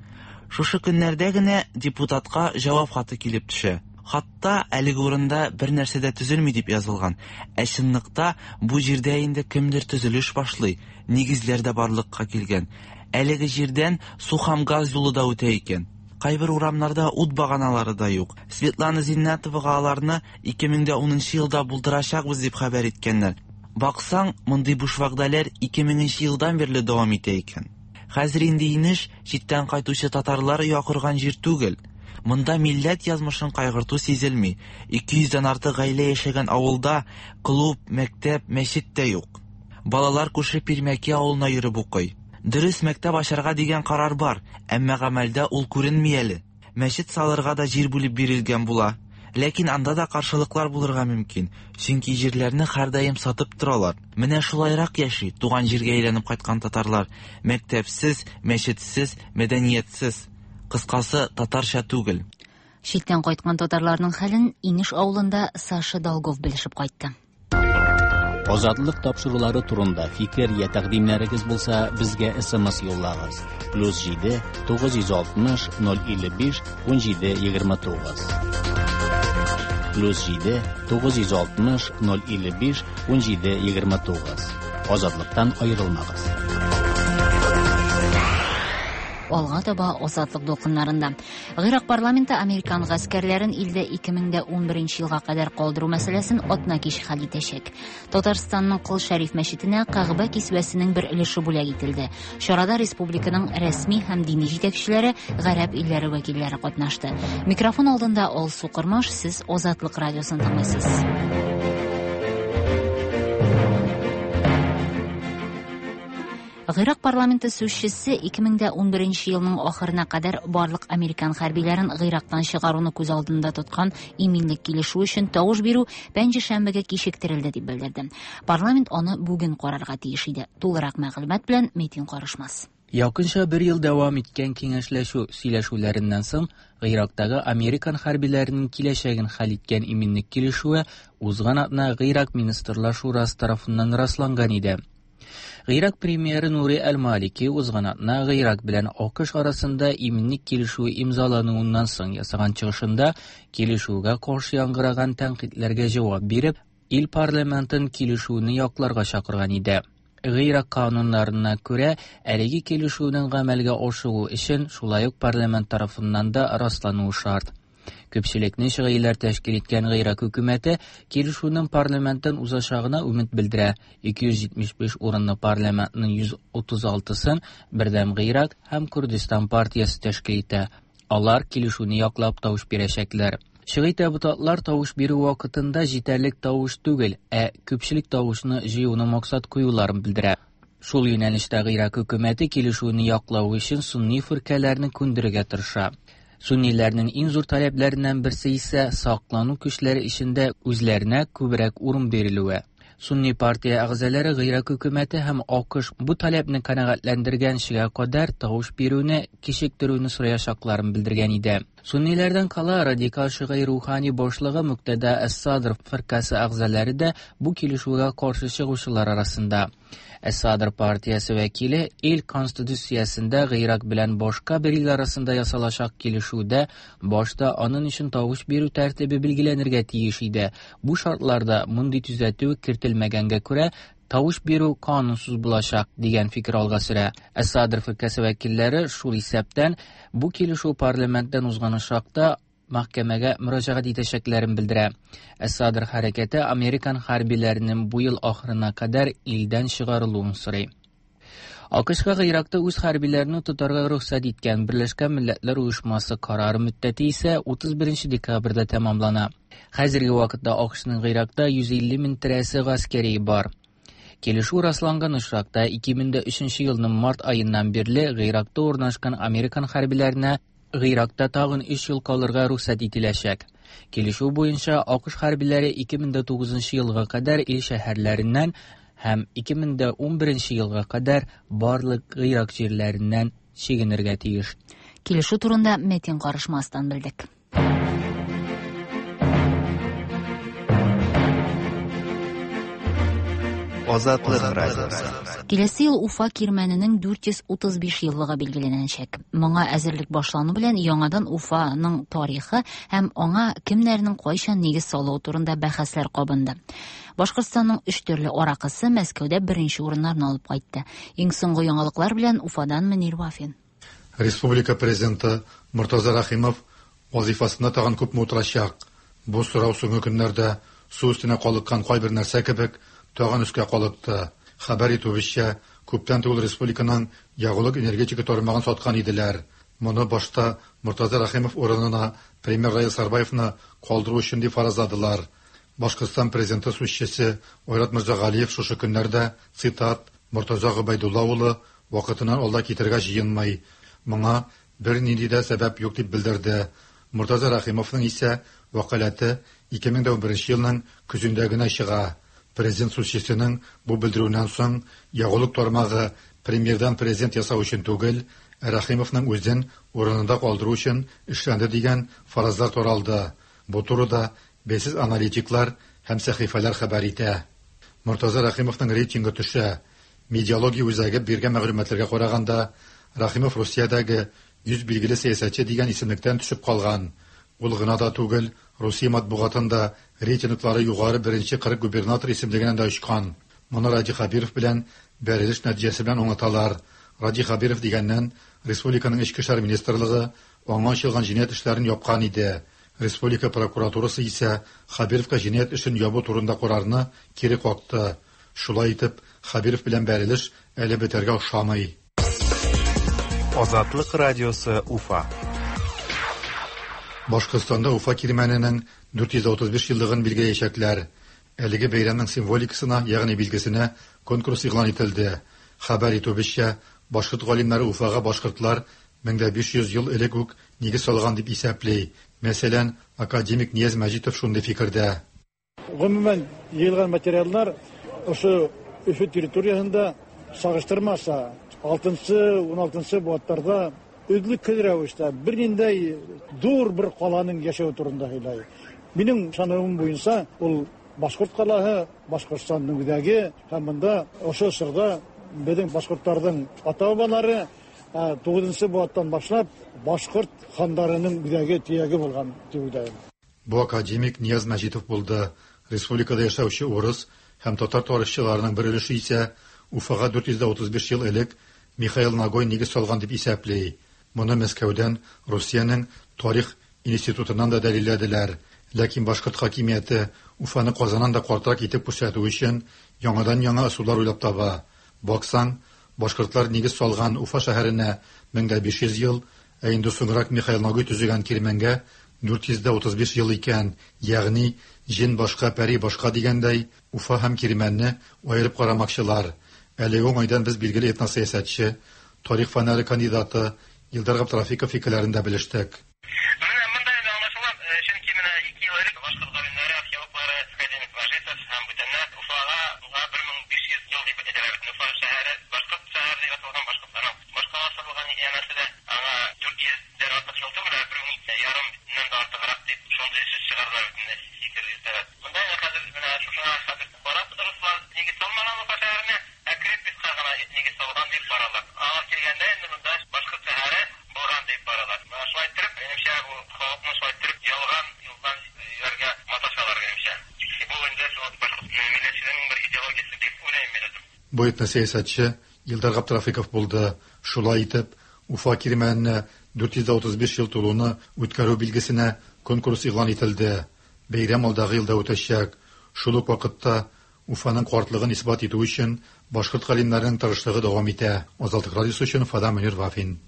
Speaker 19: Шушы көннәрдә генә депутатка җавап хаты килеп төшә. Хатта әлеге урында бер нәрсә дә төзелми дип язылган. Ә чынлыкта бу җирдә инде кемдер төзелеш башлый, нигезләр дә барлыкка килгән. Әлеге җирдән су һәм газ юлы да үтә икән. Кайбер урамнарда ут баганалары да юк. Светлана Зиннатовага аларны 2010 елда булдырачакбыз дип хәбәр иткәннәр. Баксаң, мондый буш вәгъдәләр 2000 елдан бирле дәвам итә икән. Хәзер инде Инеш читтән кайтучы татарлар оя корган җир түгел. Монда милләт язмышын кайгырту сизелми. 200 дән артык гаилә яшәгән авылда клуб, мәктәп, мәчет тә юк. Балалар күрше Пирмәки авылына йөреп укый. Дөрес, мәктәп ачарга дигән карар бар, әмма гамәлдә ул күренми әле. Мәчет салырга да җир бүлеп бирелгән була. Ләкин анда да каршылыклар булырга мөмкин, чөнки җирләрне һәрдаим сатып торалар. Менә шулайрак яши туган җиргә әйләнеп кайткан татарлар. Мәктәпсез, мәчетсез, мәдәниятсез. Кыскасы, татарча түгел.
Speaker 1: Читтән кайткан татарларның хәлен Инеш авылында Саша Долгов белешеп кайтты.
Speaker 2: Азатлык тапшырулары турында фикер я тәкъдимнәрегез булса, безгә SMS юллагыз. +7 960 055 17 29. +7 960 055 17 29. Азатлыктан аерылмагыз.
Speaker 1: Алга таба Азатлык дулкыннарында. Гыйрак парламенты американ гаскәрләрен илдә 2011 елга кадәр калдыру мәсьәләсен атна кич хәл итәчәк. Татарстанның Кол Шәриф мәчетенә Кәгъбә кисвәсенең бер өлеше бүләк ителде. Чарада республиканың рәсми һәм дини җитәкчеләре, гарәп илләре вәкилләре катнашты. Микрофон алдында Алсу Кормаш, сез Азатлык радиосын тыңлыйсыз. Гыйрак парламенты сүзчесе 2011 елның ахырына кадәр барлык американ хәрбиләрен Гыйрактан чыгаруны күз алдында тоткан иминлек килешү өчен тавыш бирү пәнҗешәмбегә кичектерелде дип белдерде. Парламент аны бүген карарга тиеш иде. Тулырак мәгълүмат белән Метин Карышмас.
Speaker 4: Якынча бер ел дәвам иткән киңәшләшү сөйләшүләреннән соң, Гыйрактагы американ хәрбиләренең киләчәген хәл иткән иминлек килешүе узган атна Гыйрак министрлар шурасы тарафыннан расланган иде. Гыйрак премьеры Нури әл-Малики узган атна Гыйрак белән АКШ арасында иминлек килешүе имзалануыннан соң ясаган чыгышында килешүгә каршы яңгыраган тәнкыйтьләргә җавап биреп, ил парламентын килешүне якларга чакырган иде. Гыйрак кануннарына күрә, әлеге килешүнең гамәлгә ашуы өчен шулай ук парламент тарафыннан да раслануы шарт. Күпчелекне шигыйләр тәшкил иткән Гыйрак хөкүмәте килешүнең парламенттан узачагына өмет белдерә. 275 урынлы парламентның 136-сын Бердәм Гыйрак һәм Курдистан партиясе тәшкил итә. Алар килешүне яклап тавыш бирәчәкләр. Шигый депутатлар тавыш бирү вакытында җитәрлек тавыш түгел, ә күпчелек тавышны җыюны максат куюларын белдерә. Шул юнәлештә Гыйрак хөкүмәте килешүне яклау өчен сунни фиркәләрне күндерергә тырыша. Сунниләрнең иң зур таләпләреннән берсе исә саклану көчләре эчендә үзләренә күбрәк урын бирелүе. Сунни партия әгъзалары Гыйрак хөкүмәте һәм АКШ бу таләпне канәгатьләндергәнчегә кадәр тавыш бирүне кичектерүне сораячакларын белдергән иде. Сунниләрдән кала радикал шигый рухани башлыгы Мөктәдә Әс-Садр фиркасе әгъзалары да бу килешүгә каршы чыгучылар арасында. Әс-Садр партиясе вәкиле ил конституциясендә Гыйрак белән башка бер ил арасында ясалачак килешүдә башта аның өчен тавыш бирү тәртибе билгеләнергә тиеш иде. Бу шартларда мондый төзәтү кертелмәгәнгә күрә, тавыш бирү канунсыз булачак, дигән фикер алга сөрә. Әс-Садр фиркасе вәкилләре шул исәптән бу килешү парламенттан узган очракта мәхкәмәгә мөрәҗәгать итәчәкләрен белдерә. Әс-Садр хәрәкәте американ хәрбиләренең бу ел ахырына кадәр илдән чыгарылуын сорый. АКШка Гыйракта үз хәрбиләрен тотарга рөхсәт иткән Берләшкән Милләтләр Оешмасы карары мөддәте исә 31 декабрьдә тәмамлана. Хәзерге вакытта АКШның Гыйракта 150 мең тирәсе гаскәри бар. Килешү расланган очракта 2003 елның март аеннан бирле Гыйракта урнашкан американ хәрбиләренә Гыйракта тагын 3 ел калырга рөхсәт ителәчәк. Килешү буенча АКШ хәрбиләре 2009 елга кадәр ил шәһәрләреннән һәм 2011 елга кадәр барлык Гыйрак җирләреннән чигенергә тиеш.
Speaker 1: Килешү турында Метин карышмастан белдек.
Speaker 3: Азатлык радиосы.
Speaker 1: Киләсе ел Уфа кирмәненең 435 еллыгы билгеләнәчәк. Моңа әзерлек башлану белән яңадан Уфаның тарихы һәм аңа кемнәрнең кайчан нигез салуы турында бәхәсләр кабынды. Башкортстанның өч төрле аракысы Мәскәүдә беренче урыннарны алып кайтты. Иң соңгы яңалыклар белән Уфадан Мөнир Вафин.
Speaker 22: Республика президенты Мортаза Рәхимов вазифасында тагын күпме утырачак? Бу сорау соңгы көннәрдә су өстенә калыккан кайбер нәрсә кебек тагын өскә калыкты. Хәбәр итүебезчә, күптән түгел республиканың ягулык-энергетика тармагын саткан иделәр. Моны башта Мортаза Рәхимов урынына премьер Раил Сарбаевны калдыру өчен дип фаразладылар. Башкортстан президенты сүзчесе Айрат Мирзагалиев шушы көннәрдә, цитат, Мортаза Гобәйдулла улы вакытыннан алда китәргә җыенмый. Моңа бернинди дә сәбәп юк дип белдерде. Мортаза Рәхимовның исә вәкаләте 2011 елның көзендә генә чыга. Президент сүзчесенең бу белдерүеннән соң ягулык тармагы премьердан президент ясау өчен түгел, ә Рәхимовның үзен урынында калдыру өчен эшләнде дигән фаразлар таралды. Бу турыда бәйсез аналитиклар һәм сәхифәләр хәбәр итә. Мортаза Рәхимовның рейтингы төшә. Медиалогия үзәге биргән мәгълүматларга караганда, Рәхимов Русиядәге 100 билгеле сәясәтче дигән исемлектән төшеп калган. Ул гына да түгел, Русия матбугатында рейтинглары югары беренче 40 губернатор исемлегеннән дә очкан. Моны Радий Хәбиров белән бәрелеш нәтиҗәсе белән аңлаталар. Радий Хәбиров дигәннән, республиканың Эчке эшләр министрлыгы аңа ачылган җинаять эшләрен япкан иде. Республика прокуратурасы исә Хәбировка җинаять эшен ябу турында карарны кире какты. Шулай итеп, Хәбиров белән бәрелеш әле бетәргә охшамый.
Speaker 3: Азатлык радиосы Уфа.
Speaker 22: Башкортстанда Уфа кирмәненең 435 еллыгын билгеләячәкләр. Әлеге бәйрәмнең символикасына, ягъни билгесенә конкурс игълан ителде. Хәбәр итүебезчә, башкорт галимнәре Уфага башкортлар 1500 ел элек үк нигез салган дип исәпли. Мәсәлән, академик Нияз Мәҗитов шундый фикердә.
Speaker 23: Гомумән, җыелган материаллар ошо Өфө территориясендә чагыштырмаса
Speaker 5: 6-нчы, 16-нчы быуаттарда өзлексез рәвештә берниндәй зур бер каланың яшәве турында һөйләй. Минем ышануым буенча, ул башкорт калаһы, Башкортстанның үзәге һәм монда ошо чорда безнең башкортларның ата-бабалары 9 быуаттан башлап башкорт хандарының үзәге, төяге булган дип уйлыйм.
Speaker 22: Бу академик Нияз Мәҗитов булды. Республикада яшәүче урыс һәм татар тарихчыларының бер өлеше исә Уфага 435 ел элек Михаил Нагой нигез салган дип исәпли. Моны Мәскәүдән Русиянең тарих институтыннан да дәлилләделәр. Ләкин башкорт хакимияте Уфаны Казаннан да картрак итеп күрсәтү өчен яңадан-яңа ысуллар уйлап таба. Баксаң, башкортлар нигез салган Уфа шәһәренә 1500 ел, ә инде соңрак Михаил Нагой төзегән Кирмәнгә 435 ел икән, ягъни җен башка, пәри башка дигәндәй, Уфа һәм Кирмәнне аерып карамакчылар. Әлеге уңайдан без билгеле этносәясәтче, тарих фәннәре кандидаты Илдар Габдрафиков фикерләрен дә белештек.
Speaker 7: Менә монда инде аңлашыла, чөнки менә ике ел элек башкорт галимнәре, археологлары, академик Мәҗитов һәм бүтәннәр Уфага 1500 ел дип әйтәләр бит. Уфа шәһәре башкорт шәһәре дип аталган, башкортларның башкаласы булган янәсе дә, аңа 400 дән артык ел түгел, ә 1500 ннән дә артыграк дип шундый сүз чыгардылар бит инде, фикер йөртәләр. Монда инде хәзер менә шушыңа хәзер карап, руслар нигез салмаган Уфа шәһәренә, ә крепостька гына нигез салган дип баралар. Аңа килгәндә инде монда башкорт шәһәре булган дип баралар. Менә шулай иттереп, минемчә, бу халыкны шулай иттереп ялган юлдан йөрергә маташалар, минемчә. Бу инде шул башкорт милләтчелегенең бер идеологиясе дип уйлыйм мин үзем.
Speaker 22: Бу этносәясәтче Илдар Габдрафиков булды. Шулай итеп, Уфа Кирмәненә 435 ел тулуны үткәрү билгесенә конкурс игълан ителде. Бәйрәм алдагы елда үтәчәк. Шул ук вакытта Уфаның картлыгын исбат итү өчен башкорт галимнәренең тырышлыгы дәвам итә. Азатлык радиосы өчен Уфадан Мөнир Вафин.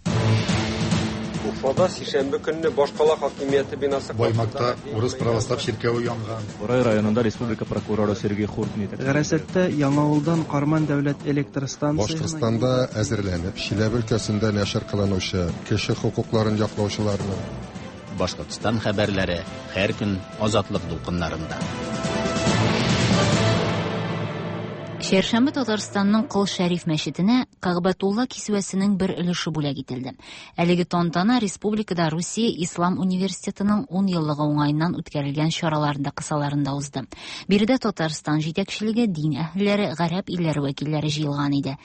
Speaker 23: Уфада сишәмбе көнне башкала хакимияте бинасы
Speaker 22: Баймакта урыс православ чиркәве янган.
Speaker 24: Борай районында республика прокуроры Сергей Хуртин
Speaker 14: Гарәсәттә Яңавылдан Карман дәүләт электр станциясенә
Speaker 25: Башкортстанда әзерләнеп, Чиләбе өлкәсендә нәшер кылынучы кеше хокукларын яклаучыларның
Speaker 2: Башкортстан хәбәрләре һәр көн Азатлык дулкыннарында.
Speaker 1: Чәршәмбе Татарстанның Кол Шәриф мәчетенә Кәгъбәтулла кисвәсенең бер өлеше бүләк ителде. Әлеге тантана республикада Русия Ислам университетының 10 еллыгы уңаеннан үткәрелгән чараларында кысаларында узды. Биредә Татарстан җитәкчелеге, дин әһелләре, гарәп илләре вәкилләре җыелган иде.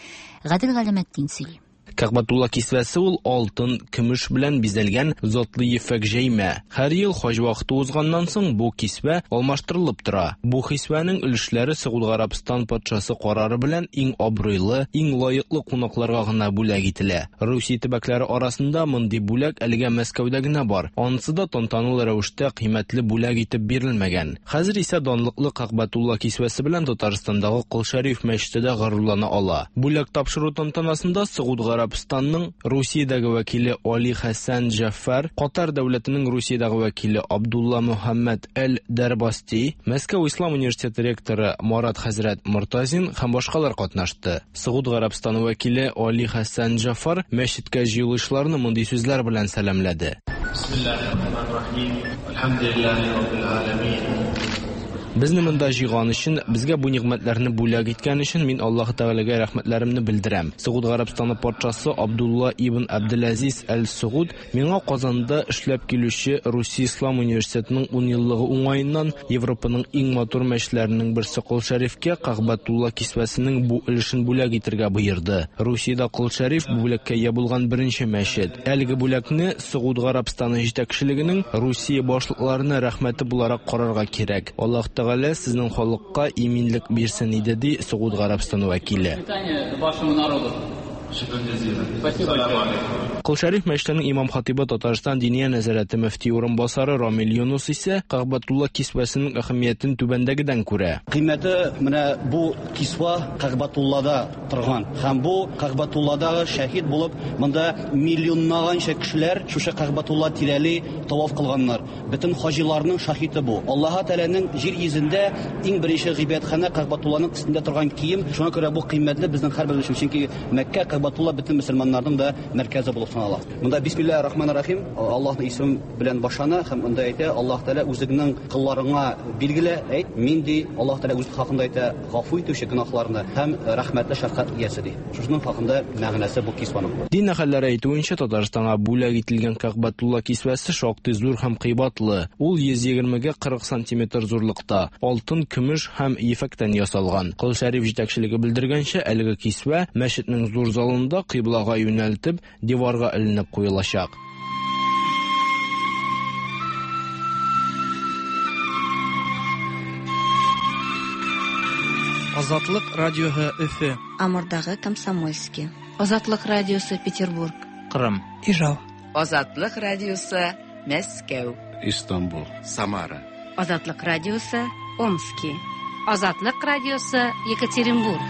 Speaker 1: Гадел Галәметдин сөйли.
Speaker 26: Кәгъбәтулла кисвәсе ул алтын, көмеш белән бизәлгән затлы ефәк җәймә. Һәр ел хаҗ вакыты узганнан соң бу кисвә алмаштырылып тора. Бу хисвәнең өлешләре Согуд Гарәбстан патшасы карары белән иң абруйлы, иң лаеклы кунакларга гына бүләк ителә. Русия төбәкләре арасында мондый бүләк әлегә Мәскәүдә генә бар. Анысы да тантаналы рәвештә кыйммәтле бүләк итеп бирелмәгән. Хәзер исә данлыклы Кәгъбәтулла кисвәсе белән Татарстандагы Кол Шәриф мәчете дә горурлана ала. Бүләк тапшыру тантанасында Согуд Гарәбстанның Русиядәге вәкиле Али Хәсән Җәфәр, Катар дәүләтенең Русиядәге вәкиле Абдулла Мөхәммәд Әл-Дәрбасти, Мәскәү Ислам университеты ректоры Марат хәзрәт Мортазин һәм башкалар катнашты. Согуд Гарәбстаны вәкиле Али Хәсән Җәфәр мәчеткә җыелучыларны мондый сүзләр белән сәламләде. Безне монда җыйган өчен, безгә бу нигъмәтләрне бүләк иткән өчен мин Аллаһы Тәгаләгә рәхмәтләремне белдерәм. Согуд Гарәбстаны патшасы Абдулла ибн Абделазиз әл-Согуд миңа Казанда эшләп килүче Русия Ислам университетының 10 еллыгы уңаеннан Европаның иң матур мәчетләренең берсе Кол Шәрифкә Кәгъбәтулла кисвәсенең бу өлешен бүләк итергә боерды. Русиядә Кол Шәриф бу бүләккә ия булган беренче мәчет. Әлеге бүләкне Согуд Гарәбстаны җитәкчелегенең Русия башлыкларына рәхмәте буларак карарга кирәк. Аллаһ Тәгалә сезнең халыкка иминлек бирсен иде, ди Согуд Гарәбстаны вәкиле. Кол Шәриф мәчетенең имам-хатыйбы Татарстан Диния нәзарәте мөфти урынбасары Рамил Юнус исә Кәгъбәтулла кисвәсенең әһәмиятен түбәндәгедән күрә.
Speaker 27: Кыйммәте менә бу кисва Кәгъбәтуллада торган. Һәм бу Кәгъбәтулладагы шәһид булып, монда миллионлаганча кешеләр шушы Кәгъбәтулла тирәли таваф кылганнар. Бөтен хаҗиларның шаһиты бу. Аллаһы Тәгаләнең җир йөзендә иң беренче гыйбадәтханә Кәгъбәтулланың өстендә торган кием. Шуңа күрә бу кыйммәтле безнең һәрберебез өчен, чөнки Мәккә, Кәгъбәтулла бөтен мөселманнарның да мәркәзе булып. булып санала. Монда Бисмиллаһир Рахманир Рахим, Аллаһның исеме белән башлана һәм монда әйтә, Аллаһ Тәгалә үзеңнең колларыңа билгелә, әйт, мин ди, Аллаһ Тәгалә үзе хакында әйтә, гафу итүче гөнаһларны һәм рәхмәтле шәфкать иясе ди. Шушының хакында мәгънәсе бу кисваның.
Speaker 26: Дин әһелләре әйтүенчә, Татарстанга бүләк ителгән Кәгъбәтулла кисвәсе шактый зур һәм кыйбатлы. Ул 120 гә 40 сантиметр зурлыкта, алтын, көмеш һәм ефәктән ясалган. Кол Шәриф җитәкчелеге белдергәнчә, әлеге кисвә мәчетнең зур залында кыйблага юнәлтеп, диварга эленеп куелачак.
Speaker 14: Азатлык радиоһы Өфе.
Speaker 15: Амурдагы Комсомольски. Азатлык радиосы Петербург.
Speaker 4: Кырым.
Speaker 14: Ижау.
Speaker 16: Азатлык радиосы Мәскәү.
Speaker 17: Истанбул. Самара.
Speaker 18: Азатлык радиосы Омски. Азатлык радиосы Екатеринбург.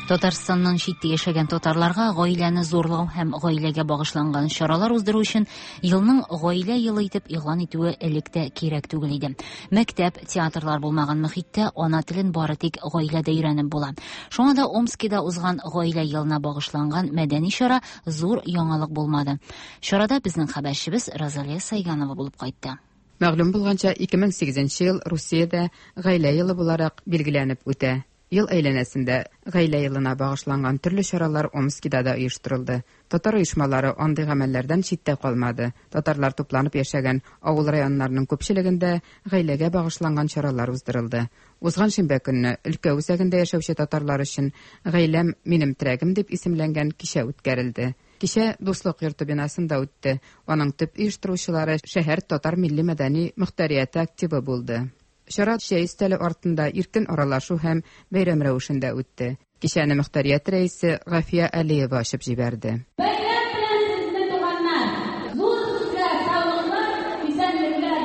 Speaker 1: Татарстаннан читтә яшәгән татарларга гаиләне зурлау һәм гаиләгә багышланган чаралар уздыру өчен елның гаилә елы итеп игълан итүе элек тә кирәк түгел иде. Мәктәп, театрлар булмаган мөхиттә ана телен бары тик гаиләдә өйрәнеп була. Шуңа да Омскида узган гаилә елына багышланган мәдәни чара зур яңалык булмады. Чарада безнең хәбәрчебез Розалия Сайганова булып кайтты.
Speaker 6: Мәгълүм булганча, 2008 ел Русиядә гаилә елы буларак билгеләнеп үтә. Ел әйләнәсендә гаилә елына багышланган төрле чаралар Омскида да оештырылды. Татар оешмалары андый гамәлләрдән читтә калмады. Татарлар тупланып яшәгән авыл районнарының күпчелегендә гаиләгә багышланган чаралар уздырылды. Узган шимбә көнне өлкә үзәгендә яшәүче татарлар өчен Гаиләм минем терәгем дип исемләнгән кичә үткәрелде. Кичә Дуслык йорты бинасында үтте. Аның төп оештыручылары шәһәр татар милли мәдәни мөхтәрияте активы булды. Чара чәй өстәле артында иркен аралашу һәм бәйрәм рәвешендә үтте. Кичәне мөхтәрият рәисе Гафия Алиева ачып җибәрде.
Speaker 8: Бәйрәм белән сезне, туганнар! Зур сезгә саулыклар, исәнлекләр!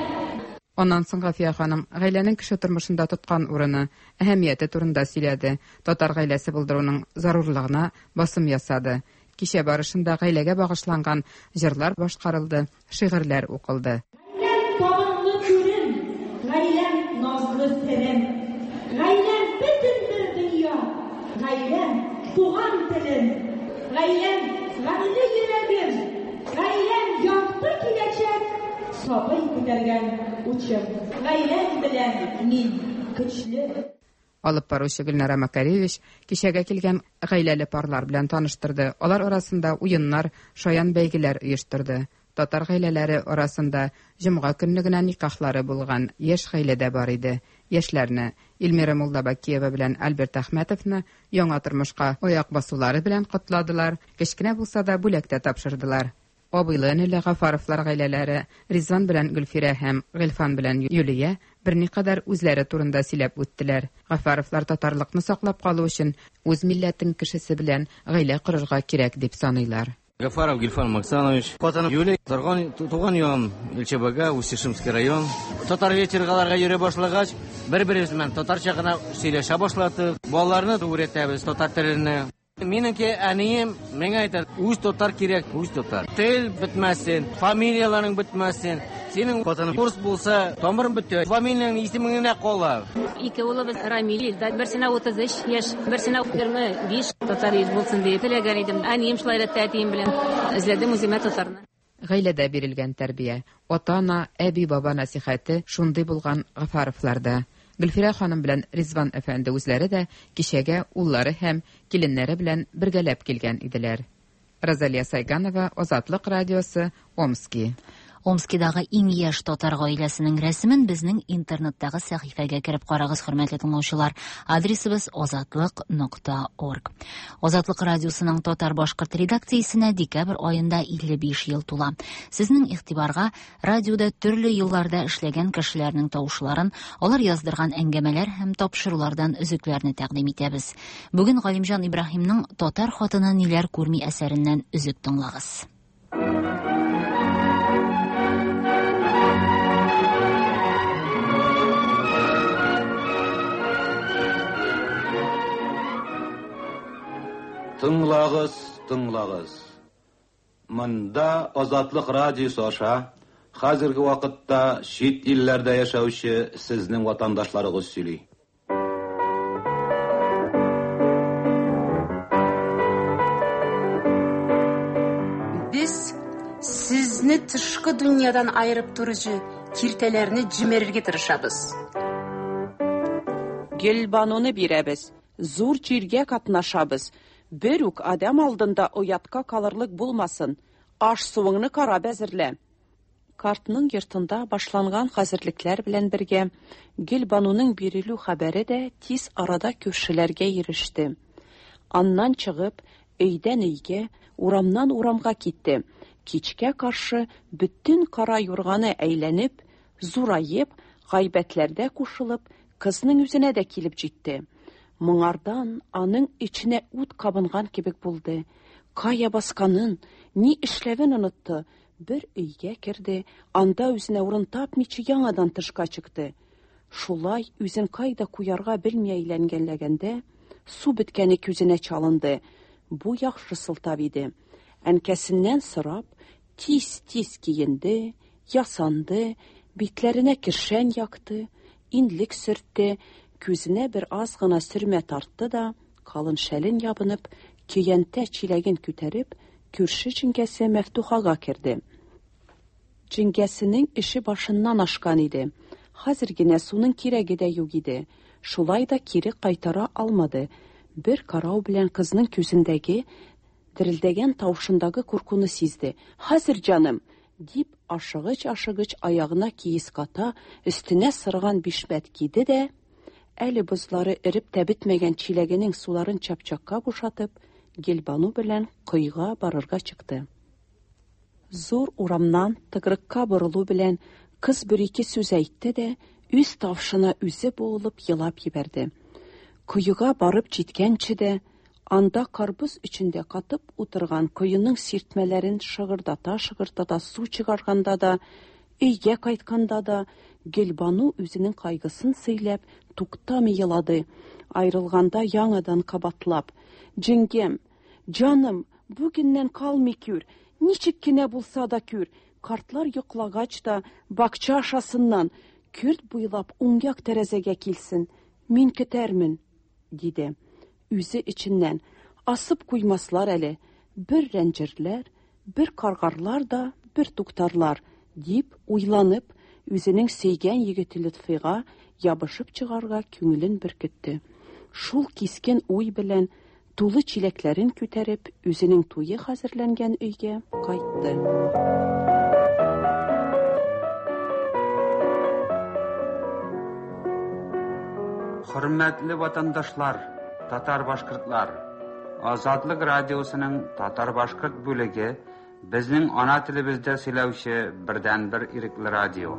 Speaker 6: Аннан соң Гафия ханым гаиләнең кеше тормышында тоткан урыны, әһәмияте турында сөйләде, татар гаиләсе булдыруның зарурлыгына басым ясады. Кичә барышында гаиләгә багышланган җырлар башкарылды, шигырьләр укылды.
Speaker 8: Гаиләм табынлы түрем, гаиләм назлы серем, гаиләм бөтен бер дөнья, гаиләм туган телем, гаиләм гамьле йөрәгем, гаиләм якты киләчәк, сабый күтәргән учым, гаиләм белән мин көчле.
Speaker 6: Алып баручы Гөлнара Макаревич кичәгә килгән гаиләле парлар белән таныштырды. Алар арасында уеннар, шаян бәйгеләр оештырды. Татар гаиләләре арасында җомга көнне генә никахлары булган яшь гаилә дә бар иде. Яшьләрне Эльмира Муллабакиева белән Альберт Әхмәтовны яңа тормышка аяк басулары белән котладылар, кечкенә булса да бүләк тә тапшырдылар. Абыйлы-энеле Гафаровлар гаиләләре Ризван белән Гөлфирә һәм Гыйльфан белән Юлия берникадәр үзләре турында сөйләп үттеләр. Гафаровлар татарлыкны саклап калу өчен үз милләтең кешесе белән гаилә корырга кирәк дип саныйлар.
Speaker 9: Гафаров Гильфан Максанович, хатыным Юлия, торган, туган ягым Илчебага, Усть-Ишимский район. Татар вечергаларга йөри башлагач, бер-беребез белән татарча гына сөйләшә башладык. Балаларны өйрәтәбез татар теленә. Минеке әнием миңа әйтә, үз татар кирәк, үз татар. Тел бетмәсен, фамилияләрең бетмәсен. Синең хатының урыс булса, тамырың бетә, фамилияң исемең генә кала.
Speaker 10: Ике улыбыз Рамил, Илдар, берсенә 33 яшь, берсенә 25. Татар йөз булсын дип теләгән идем. Әнием шулай өйрәтте әтием белән. Эзләдем үземә татарны.
Speaker 6: Гаиләдә бирелгән тәрбия, ата-ана, әби-баба нәсихәте шундый булган Гафаровларда. Гөлфирә ханым белән Ризван әфәнде үзләре дә кичәгә уллары һәм киленнәре белән бергәләп килгән иделәр. Розалия Сайганова, Азатлык радиосы, Омски.
Speaker 1: Омскидагы иң яшь татар гаиләсенең рәсемен безнең интернеттагы сәхифәгә кереп карагыз, хөрмәтле тыңлаучылар. Адресыбыз азатлык нокта орг. Азатлык радиосының татар-башкорт редакциясенә декабрь аенда 55 ел тула. Сезнең игътибарга радиода төрле елларда эшләгән кешеләрнең тавышларын, алар яздырган әңгәмәләр һәм тапшырулардан өзекләрне тәкъдим итәбез. Бүген Галимҗан Ибраһимның Татар хатыны ниләр күрми әсәреннән өзек тыңлагыз.
Speaker 11: Тыңлагыз, тыңлагыз. Монда Азатлык радиосы аша хәзерге вакытта чит илләрдә яшәүче сезнең ватандашларыгыз сөйли.
Speaker 3: Безне тышкы дөньядан аерып торучы киртәләрне җимерергә тырышабыз.
Speaker 5: Гөлбануны бирәбез, зур чиргә катнашабыз. Бер үк адәм алдында оятка калырлык булмасын. Аш-суыңны карап әзерлә. Картның йортында башланган хәзерлекләр белән бергә, Гөлбануның бирелү хәбәре дә тиз арада күршеләргә иреште. Аннан чыгып, өйдән өйгә, урамнан урамга китте. Кичкә каршы бөтен кара юрганы әйләнеп, зураеп, гайбәтләрдә кушылып, кызның үзенә дә килеп җитте. Моңардан аның эченә ут кабынган кебек булды. Кая басканын, ни эшләвен онытты. Бер өйгә керде, анда үзенә урын тапмыйча яңадан тышка чыкты. Шулай үзен кайда куярга белми әйләнгәләгәндә, су беткәне күзенә чалынды. Бу яхшы сылтау иде. Әнкәсеннән сорап, тиз-тиз киенде, ясанды, битләренә кершән якты, иннек сөртте, күзенә бер аз гына сөрмә тартты да, калын шәлен ябынып, көянтә-чиләген күтәреп, күрше җиңгәсе Мәфтухага керде. Җиңгәсенең эше башыннан ашкан иде. Хәзер генә суның кирәге дә юк иде. Шулай да кире кайтара алмады. Бер карау белән кызның күзендәге, дерелдәгән тавышындагы куркуны сизде. Хәзер, җаным! дип, ашыгыч-ашыгыч аягына киез ката, өстенә сырган бишмәт киде дә, әле бозлары эреп тә бетмәгән чиләгенең суларын чапчакка бушатып, Гөлбану белән коега барырга чыкты. Зур урамнан тыкрыкка борылу белән, кыз бер-ике сүз әйтте дә, үз тавышына үзе буылып елап җибәрде. Коега барып җиткәнче дә, анда карбыз эчендә катып утырган коеның сиртмәләрен шыгырдата-шыгырдата су чыгарганда да, өйгә кайтканда да, Гөлбану үзенең кайгысын сөйләп, туктамый елады. Аерылганда яңадан кабатлап: Җиңгәм, җаным, бүгеннән калмый күр, ничек кенә булса да күр, картлар йоклагач та, бакча ашасыннан, көрт буйлап уң як тәрәзәгә килсен, мин көтәрмен, диде. Үзе эченнән, Асып куймаслар әле, бер рәнҗерләр, бер каргарлар да бер туктарлар, дип уйланып, үзенең сөйгән егете Лотфыйга ябышып чыгарга күңелен беркетте. Шул кискен уй белән, тулы чиләкләрен күтәреп, үзенең туе хәзерләнгән өйгә кайтты.
Speaker 12: Хөрмәтле ватандашлар, татар-башкортлар! Азатлык радиосының татар-башкорт бүлеге безнең ана телебездә сөйләүче бердәнбер ирекле радио.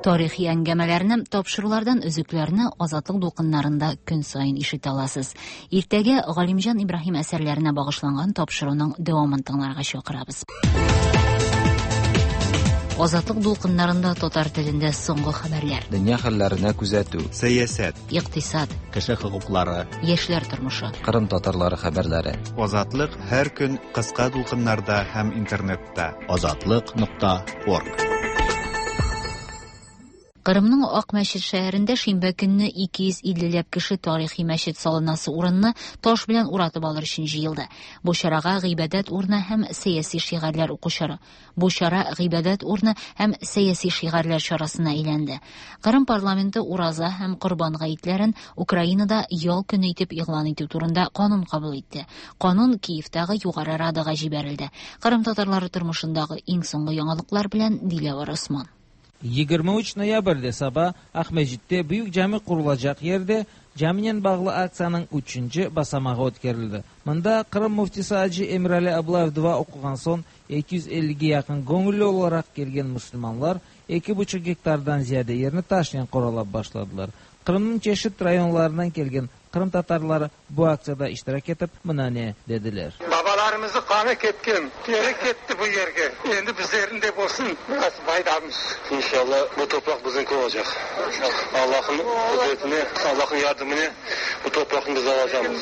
Speaker 1: Тарихи әңгәмәләрне, тапшырулардан өзекләрне Азатлык дулкыннарында көн саен ишетә аласыз. Иртәгә Галимҗан Ибраһим әсәрләренә багышланган тапшыруның дәвамын тыңларга чакырабыз. Азатлык дулкыннарында татар телендә соңгы хәбәрләр.
Speaker 13: Дөнья хәлләренә күзәтү.
Speaker 17: Сәясәт.
Speaker 1: Икътисад.
Speaker 2: Кеше хокуклары.
Speaker 1: Яшьләр тормышы.
Speaker 13: Кырым татарлары хәбәрләре.
Speaker 17: Азатлык һәр көн кыска дулкыннарда һәм интернетта.
Speaker 2: Азатлык нокта орг.
Speaker 1: Кырымның Ак мәчет шәһәрендә шимбә көнне 250 ләп кеше тарихи мәчет салынасы урынны таш белән уратып алыр өчен җыелды. Бу чарага гыйбадәт урыны һәм сәяси шигарьләр уку чара. Бу чара гыйбадәт урыны һәм сәяси шигарьләр чарасына әйләнде. Кырым парламенты Ураза һәм Корбан гаетләрен Украинада ял көне итеп игълан итү турында канун кабул итте. Канун Киевтагы Югары Радага җибәрелде. Кырым татарлары тормышындагы иң соңгы яңалыклар белән Диләвәр Осман.
Speaker 19: 23 noyabrda sabah Aqmescit'te büyük cami qurulacaq yerde caminen bağlı aktsiyanıñ üçünci basamağı ötkerildi. Mında Qırım müftisi acı Emirali Ablayev dua oquğan soñ 250ge yaqın göñülli olaraq kelgen musulmanlar eki buçuq gektardan ziyade yerni taşnen qoralap başladılar. Qırımnıñ çeşit rayonlarından kelgen Qırımtatarları bu aktsiyada iştirak etip, mına ne dediler.
Speaker 20: Babalarımıznıñ qanı ketken, teri ketti bu yerge, endi bizlerniñ de bolsun biraz faydamız.
Speaker 7: İnşallah bu topraq biziñki olacaq. Allahnıñ qudretine, Allahnıñ yardımınen bu topraqnı biz alacamız.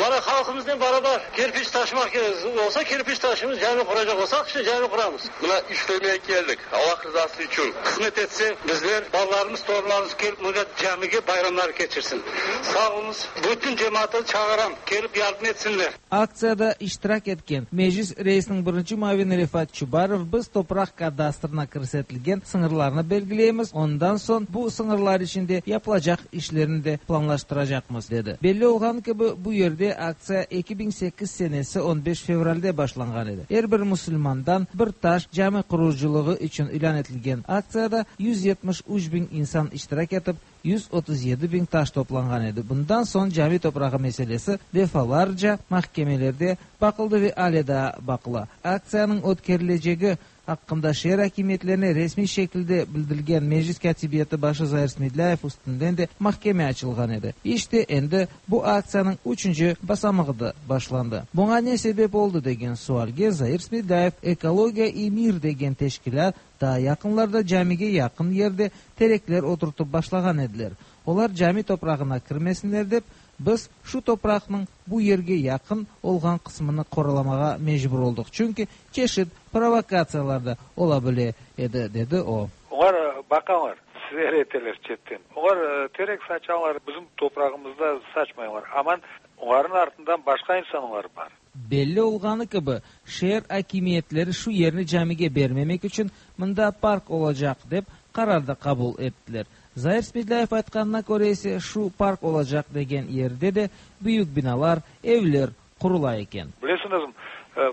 Speaker 9: Mana halqımıznen barabar kerpiç taşımaq kerek olsa, kerpiç taşımız, cami quracaq olsaq, işte cami quramız.
Speaker 7: Mına işlemege keldik, Allah rızası içün.
Speaker 20: Qısmet etse, bizler, balalarımız, torunlarımız kelip mında camige bayramlar keçirsin. Sağ oluñız. Toplaşamız. Bütün cemaatı çağıram, kelip yardım etsinler.
Speaker 19: Aktsiyada iştirak etken Meclis reisiniñ birinci muavini Refat Çubarov, Biz topraq kadastrına kirsetilgen sıñırlarnı belgileymiz, ondan soñ bu sıñırlar içinde yapılacaq işlerni de planlaştıracaqmız, dedi. Belli olğanı kibi, bu yerde aktsiya 2008 senesi 15 fevralde başlanğan edi. Er bir musulmandan bir taş cami qurucılığı içün ilân etilgen aktsiyada 173 biñ insan iştirak etip, 137 biñ taş toplanğan edi. Bundan soñ cami toprağı meselesi defalarca mahkemelerde baqıldı ve ale daa baqıla. Aktsiyanıñ ötkerilecegi aqqında şeer akimiyetlerine resmiy şekilde bildirilgen Meclis Kâtibiyeti başı Zair Smedlâyev üstünden de mahkeme açılğan edi. İşte, endi bu aktsiyanıñ üçünci basamağı da başlandı. Buña ne sebep oldı degen sualge Zair Smedlâyev Ekologiya i mir degen teşkilât daa yaqınlarda camige yaqın yerde terekler oturtıp başlağan ediler. Olar cami toprağına kirmesinler dep, biz şu topraqnıñ bu yerge yaqın olğan qısmını qoralamağa mecbur oldıq, çünki çeşit provokatsiyalar da ola bile edi, dedi o.
Speaker 20: Olar baqalar, seyir eteler çetten. Olar terek saçalar, bizim toprağımızda saçmaylar. Aman, olarnıñ artından başqa insanlar bar.
Speaker 19: Belli olğanı kibi, şeer akimiyetleri şu yerni camige bermemek içün mında park olacaq dep qarar da qabul ettiler. Zair Smedlâyev aytqanına köre ise, şu park olacaq degen yerde de büyük binalar, evler qurula eken.
Speaker 20: Bilesiñizmi,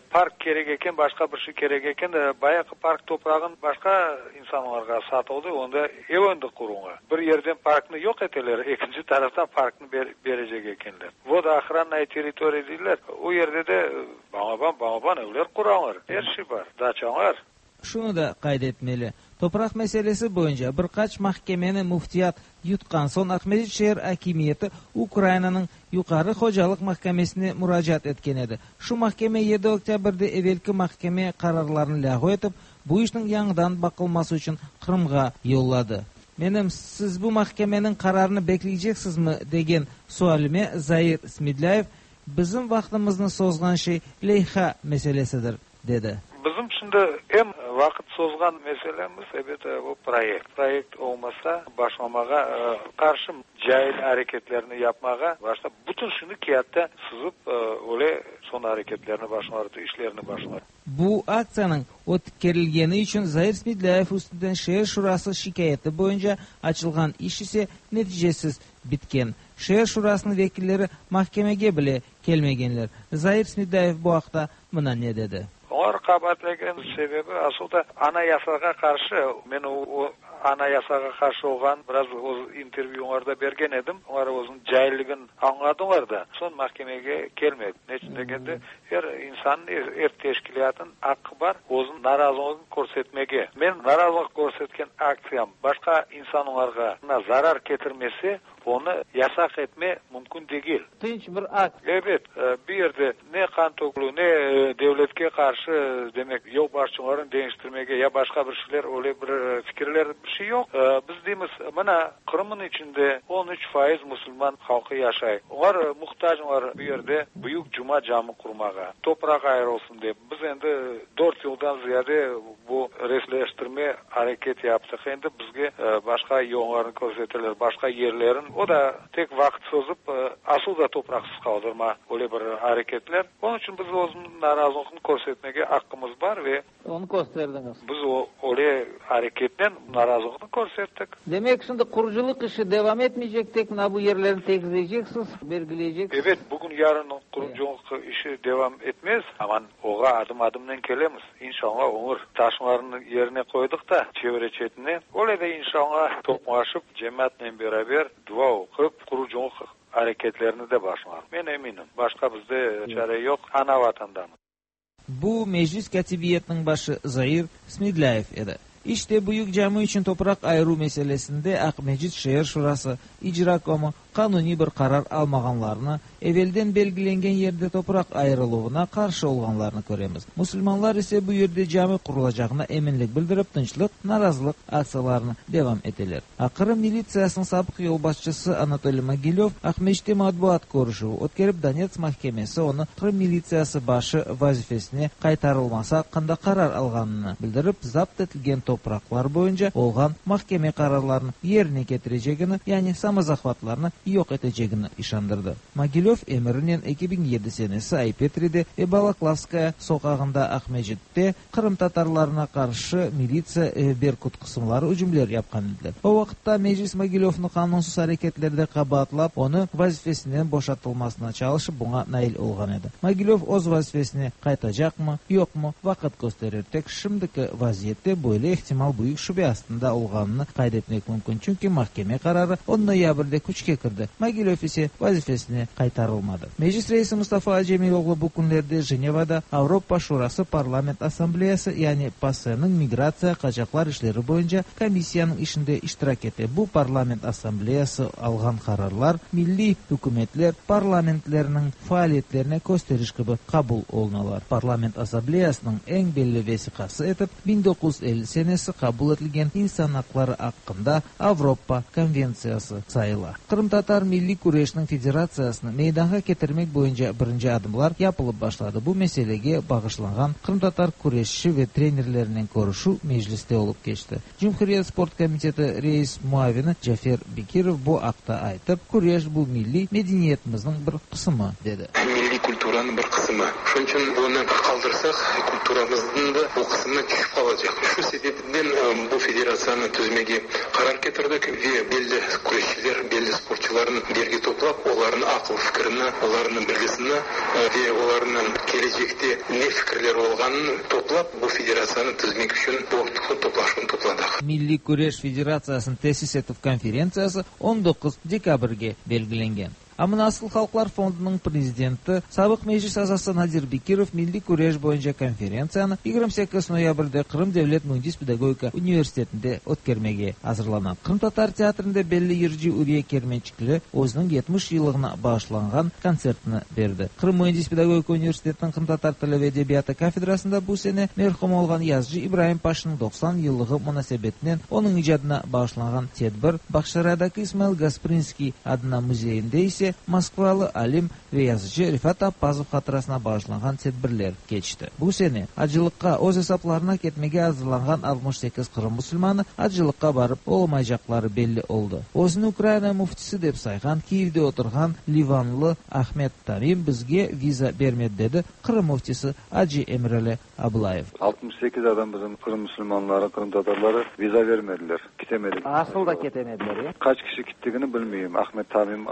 Speaker 20: park kerek eken, başqa bir şey kerek eken, bayağı park toprağın başqa insanlarğa satıldı, onda ev endi qurulğa. Bir yerden parknı yoq eteler, ekinci taraftan parknı berecek ekenler. Vodoochrannaya territoriya deyler, o yerde de balaban, balaban evler quralar, er şey bar, daçalar.
Speaker 19: Şunı da qayd etmeli, topraq meselesi boyunca bir qaç mahkemeni müftiyat yutqan soñ Aqmescit şeer akimiyeti Ukrainanıñ Yuqarı hocalıq mahkemesine muracaat etken edi. Şu mahkeme yedi oktâbrde evelki mahkeme qararlarını lâğu etip, bu işniñ yañıdan baqılması içün Qırımğa yolladı. Menim, siz bu mahkemeniñ qararını bekleyceksizmi, degen sualime Zair Smedlâyev, Bizim vaqtımıznı sozğan şey leyha meselesidir, dedi.
Speaker 20: Bizim şimdi eñ vaqıt sozğan meselemiz, ebet, bu proyekt. Proyekt olmasa, başlamağa, qarşı cail areketlerni yapmağa başlap, bütün şunı kâğıtta sızıp, öyle soñ areketlerni başlar, işlerni başlar.
Speaker 19: Bu aktsiyanıñ ötkerilgeni içün Zair Smedlâyev üstünden şeer şurası şikâyeti boyunca açılğan iş ise neticesiz bitken. Şeer şurasınıñ vekilleri mahkemege bile kelmegenler. Zair Smedlâyev bu aqta mına ne dedi.
Speaker 20: Olar qabaatlagan sebebi asıl da Anayasağa qarşı, men o Anayasağa qarşı olğan biraz öz intervyularda bergen edim, olar özüniñ cailligin añladılar da, soñ mahkemege kelmedi. Neçün degende, er insannıñ, er teşkilâtnıñ aqqı bar özüniñ narazılığın körsetmege. Men narazılıq körsetken aktsiyam başqa insanlarğa zarar ketirmese, Onı yasaq etme mümkün degil.
Speaker 19: Tınç bir akt.
Speaker 20: Ebet, bir yerde ne qan tökülüv, ne devletke qarşı, demek, yolbaşçılarnı deñiştirmege ya başqa bir şeyler, öyle bir fikirler, bir şey yoq. Biz deymiz, mına, Qırımnıñ içinde 13% musulman halqı yaşay. Olar muhtaclar bu yerde büyük cuma camı qurmağa, topraq ayırılsın dep. Biz endi dört yıldan ziyade bu resleştirme areket yaptıq. Endi bizge başqa yollarnı körseteler, başqa yerlerin. O da tek vaqıt sozıp, asıl da topraqsız qaldırma öyle bir areketler. Onıñ içün biz özümüzniñ narazılıqnı körsetmege aqqımız bar ve.
Speaker 19: Onı kösterdiñiz.
Speaker 20: Biz öyle areketnen narazılıqnı körsettik.
Speaker 19: Demek, şimdi qurucılıq işi devam etmeycek, tek mına bu yerlerni tegizleyceksiz, belgileyceksiz.
Speaker 20: Ebet, bugün-yarın qurucılıq işi devam etmez, aman oğa adım-adımnen kelemiz. İnşalla, olur. Taşlarnı yerine qoydıq da, çevre-çetine. Öyle de inşalla, toplaşıp, cemaatnen beraber dua oqup, qurucılıq areketlerini de başlar. Men eminim, başqa bizde çare yoq, ana Vatandamız.
Speaker 19: Bu Meclis Kâtibiyetiniñ başı Zair Smedlâyev edi. İşte, Büyük Cami içün topraq ayıruv meselesinde Aqmescit şeer şurası, icrakomı, qanuniy bir qarar almağanlarını, evelden belgilengen yerde topraq ayırıluvına qarşı olğanlarını köremiz. Musulmanlar ise bu yerde cami qurulacağına eminlik bildirip, tınçlıq narazılıq aktsiyalarını devam eteler. Qırım militsiyasınıñ sabıq yolbaşçısı Anatoliy Mogilöv Aqmescitte matbuat körüşüvi ötkerip, Donetsk mahkemesi onı Qırım militsiyası başı vazifesine qaytarılması aqqında qarar alğanını bildirip, zapt etilgen topraqlar boyunca olğan mahkeme qararlarını yerine ketirecegini, yani samozahvatlarnı yoq etecegini işandırdı. Mogilöv emirinen 2007 senesi Ay-Petride ve Balaklavskaya soqağında Aqmescitte qırımtatarlarına qarşı militsiya ve Berkut qısımları ücümler yapqan ediler. O vaqıtta Meclis Mogilövnı qanunsız areketlerde qabaatlap, onı vazifesinden boşatılmasına çalışıp, buña nail olğan edi. Mogilöv öz vazifesine qaytacaqmı, yoqmı, vaqıt kösterir. Tek şimdiki vaziyette böyle ihtimal büyük şübe astında olğanını qayd etmek mümkün, çünki mahkeme qararı on noyabrde küçke kirdi, Mogilöv ise vazifesine qaytarılmadı. Meclis reisi Mustafa Cemiloğlu bu künlerde Jenevada Avropa Şurası Parlament Assambleyası, yani PASE-niñ migratsiya, qaçaqlar işleri boyunca komissiyanıñ işinde iştirak ete. Bu Parlament Assambleyası alğan qararlar milliy ükümetler parlamentleriniñ faaliyetlerine kösteriş kibi qabul olunalar. Parlament Assambleyasınıñ eñ belli vesiqası etip 1950 senesi qabul etilgen İnsan aqları aqqında Avropa konventsiyası sayıla. Qırımtatar milliy küreşniñ federatsiyasını meydanğa ketirmek boyunca birinci adımlar yapılıp başladı. Bu meselege bağışlanğan qırımtatar küreşçi ve trenerlerinen körüşüv Mecliste olıp keçti. Cumhuriyet sport komiteti reis muavini Cafer Bekirov bu aqta aytıp, küreş bu milliy medeniyetimizniñ bir qısımı, dedi.
Speaker 21: Milliy kulturanıñ bir qısımı. Şunıñ içün bunı qaldırsaq, kulturamıznıñ da bu qısımı tüşip qalacaq. Şu sebepten bu federatsiyanı tüzmege qarar ketirdik ve belli küreşçiler, belli sportçularnı birge toplap, olarnıñ aqıl-fikirini, olarnıñ bilgisini ve olarnıñ kelecekte ne fikirleri olğanını toplap, bu federatsiyanı tizmek içün bu toplaşuvnı topladıq.
Speaker 19: Milliy küreş federatsiyasını tesis etüv konferentsiyası 19 dekabrge belgilengen. A mına Asıl halqlar fondunıñ prezidenti, sabıq Meclis azası Nadir Bekirov milliy küreş boyunca konferentsiyanı 28 noyabrde Qırım devlet müendis-pedagogika universitetinde ötkermege azırlana. Qırımtatar teatrinde belli yırcı Üriye Kermençikli özüniñ 70 yıllığına bağışlanğan kontsertini berdi. Qırım müendis-pedagogika universitetiniñ qırımtatar tili ve edebiyatı kafedrasında bu sene merhum olğan yazıcı İbraim Paşinıñ 90 yıllığı munasebetinen onıñ icadına bağışlanğan tedbir Bağçasaraydaki İsmail Gasprinskiy adına müzeyinde ise moskvalı alim ve yazıcı Refat Appazov hatırasına bağışlanğan tedbirler keçti. Bu sene acılıqqa öz esaplarına ketmege azırlanğan 68 Qırım musulmanı acılıqqa barıp olamaycaqları belli oldı. Özüni Ukraina müftisi dep sayğan, Kiyevde oturğan livanlı Ahmed Tamim bizge viza bermedi, dedi Qırım müftisi acı Emirali Ablayev.
Speaker 22: 68 adam bizim Qırım musulmanları, qırımtatarları viza vermediler, kitemedik.
Speaker 19: Asıl da ketemediler, ya?
Speaker 22: Qaç kişi kittigini bilmeyim. Ahmed Tamim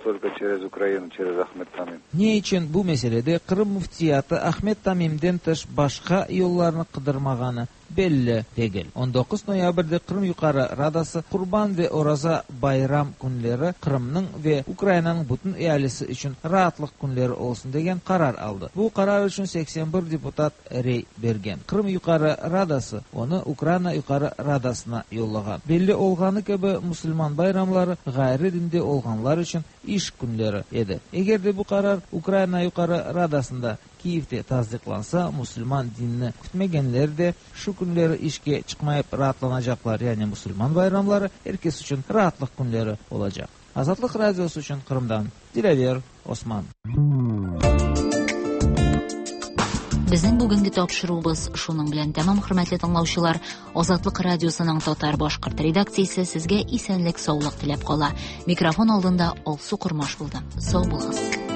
Speaker 22: tolko çerez Ukraina, çerez Ahmed Tamim.
Speaker 19: Ne içün bu meselede Qırım Müftiyatı Ahmed Tamimden tış başqa yollarnı qıdırmağanı belli degil. 19 noyabrde Qırım Yuqarı Radası Qurban ve Oraza bayram künleri Qırımnıñ ve Ukrainanıñ bütün ealisi içün raatlıq künleri olsun degen qarar aldı. Bu qarar içün 81 deputat rey bergen. Qırım Yuqarı Radası onı Ukraina Yuqarı Radasına yollağan. Belli olğanı kibi, musulman bayramları ğayrı dinde olğanlar içün iş künleri edi. Eger de bu qarar Ukraina Yuqarı Radasında Kiyevde tasdiqlansa, musulman dinini kütmegenler de şu künleri işke çıqmayıp raatlanacaqlar, yani musulman bayramları er kes içün raatlıq künleri olacaq. Azatlıq Radiosı içün Qırımdan Dilâver Osman.
Speaker 1: Безнең бүгенге тапшыруыбыз шуның белән тәмам, хөрмәтле тыңлаучылар. Азатлык радиосының татар-башкорт редакциясе сезгә исәнлек-саулык теләп кала. Микрофон алдында Алсу Кормаш булды. Сау булыгыз.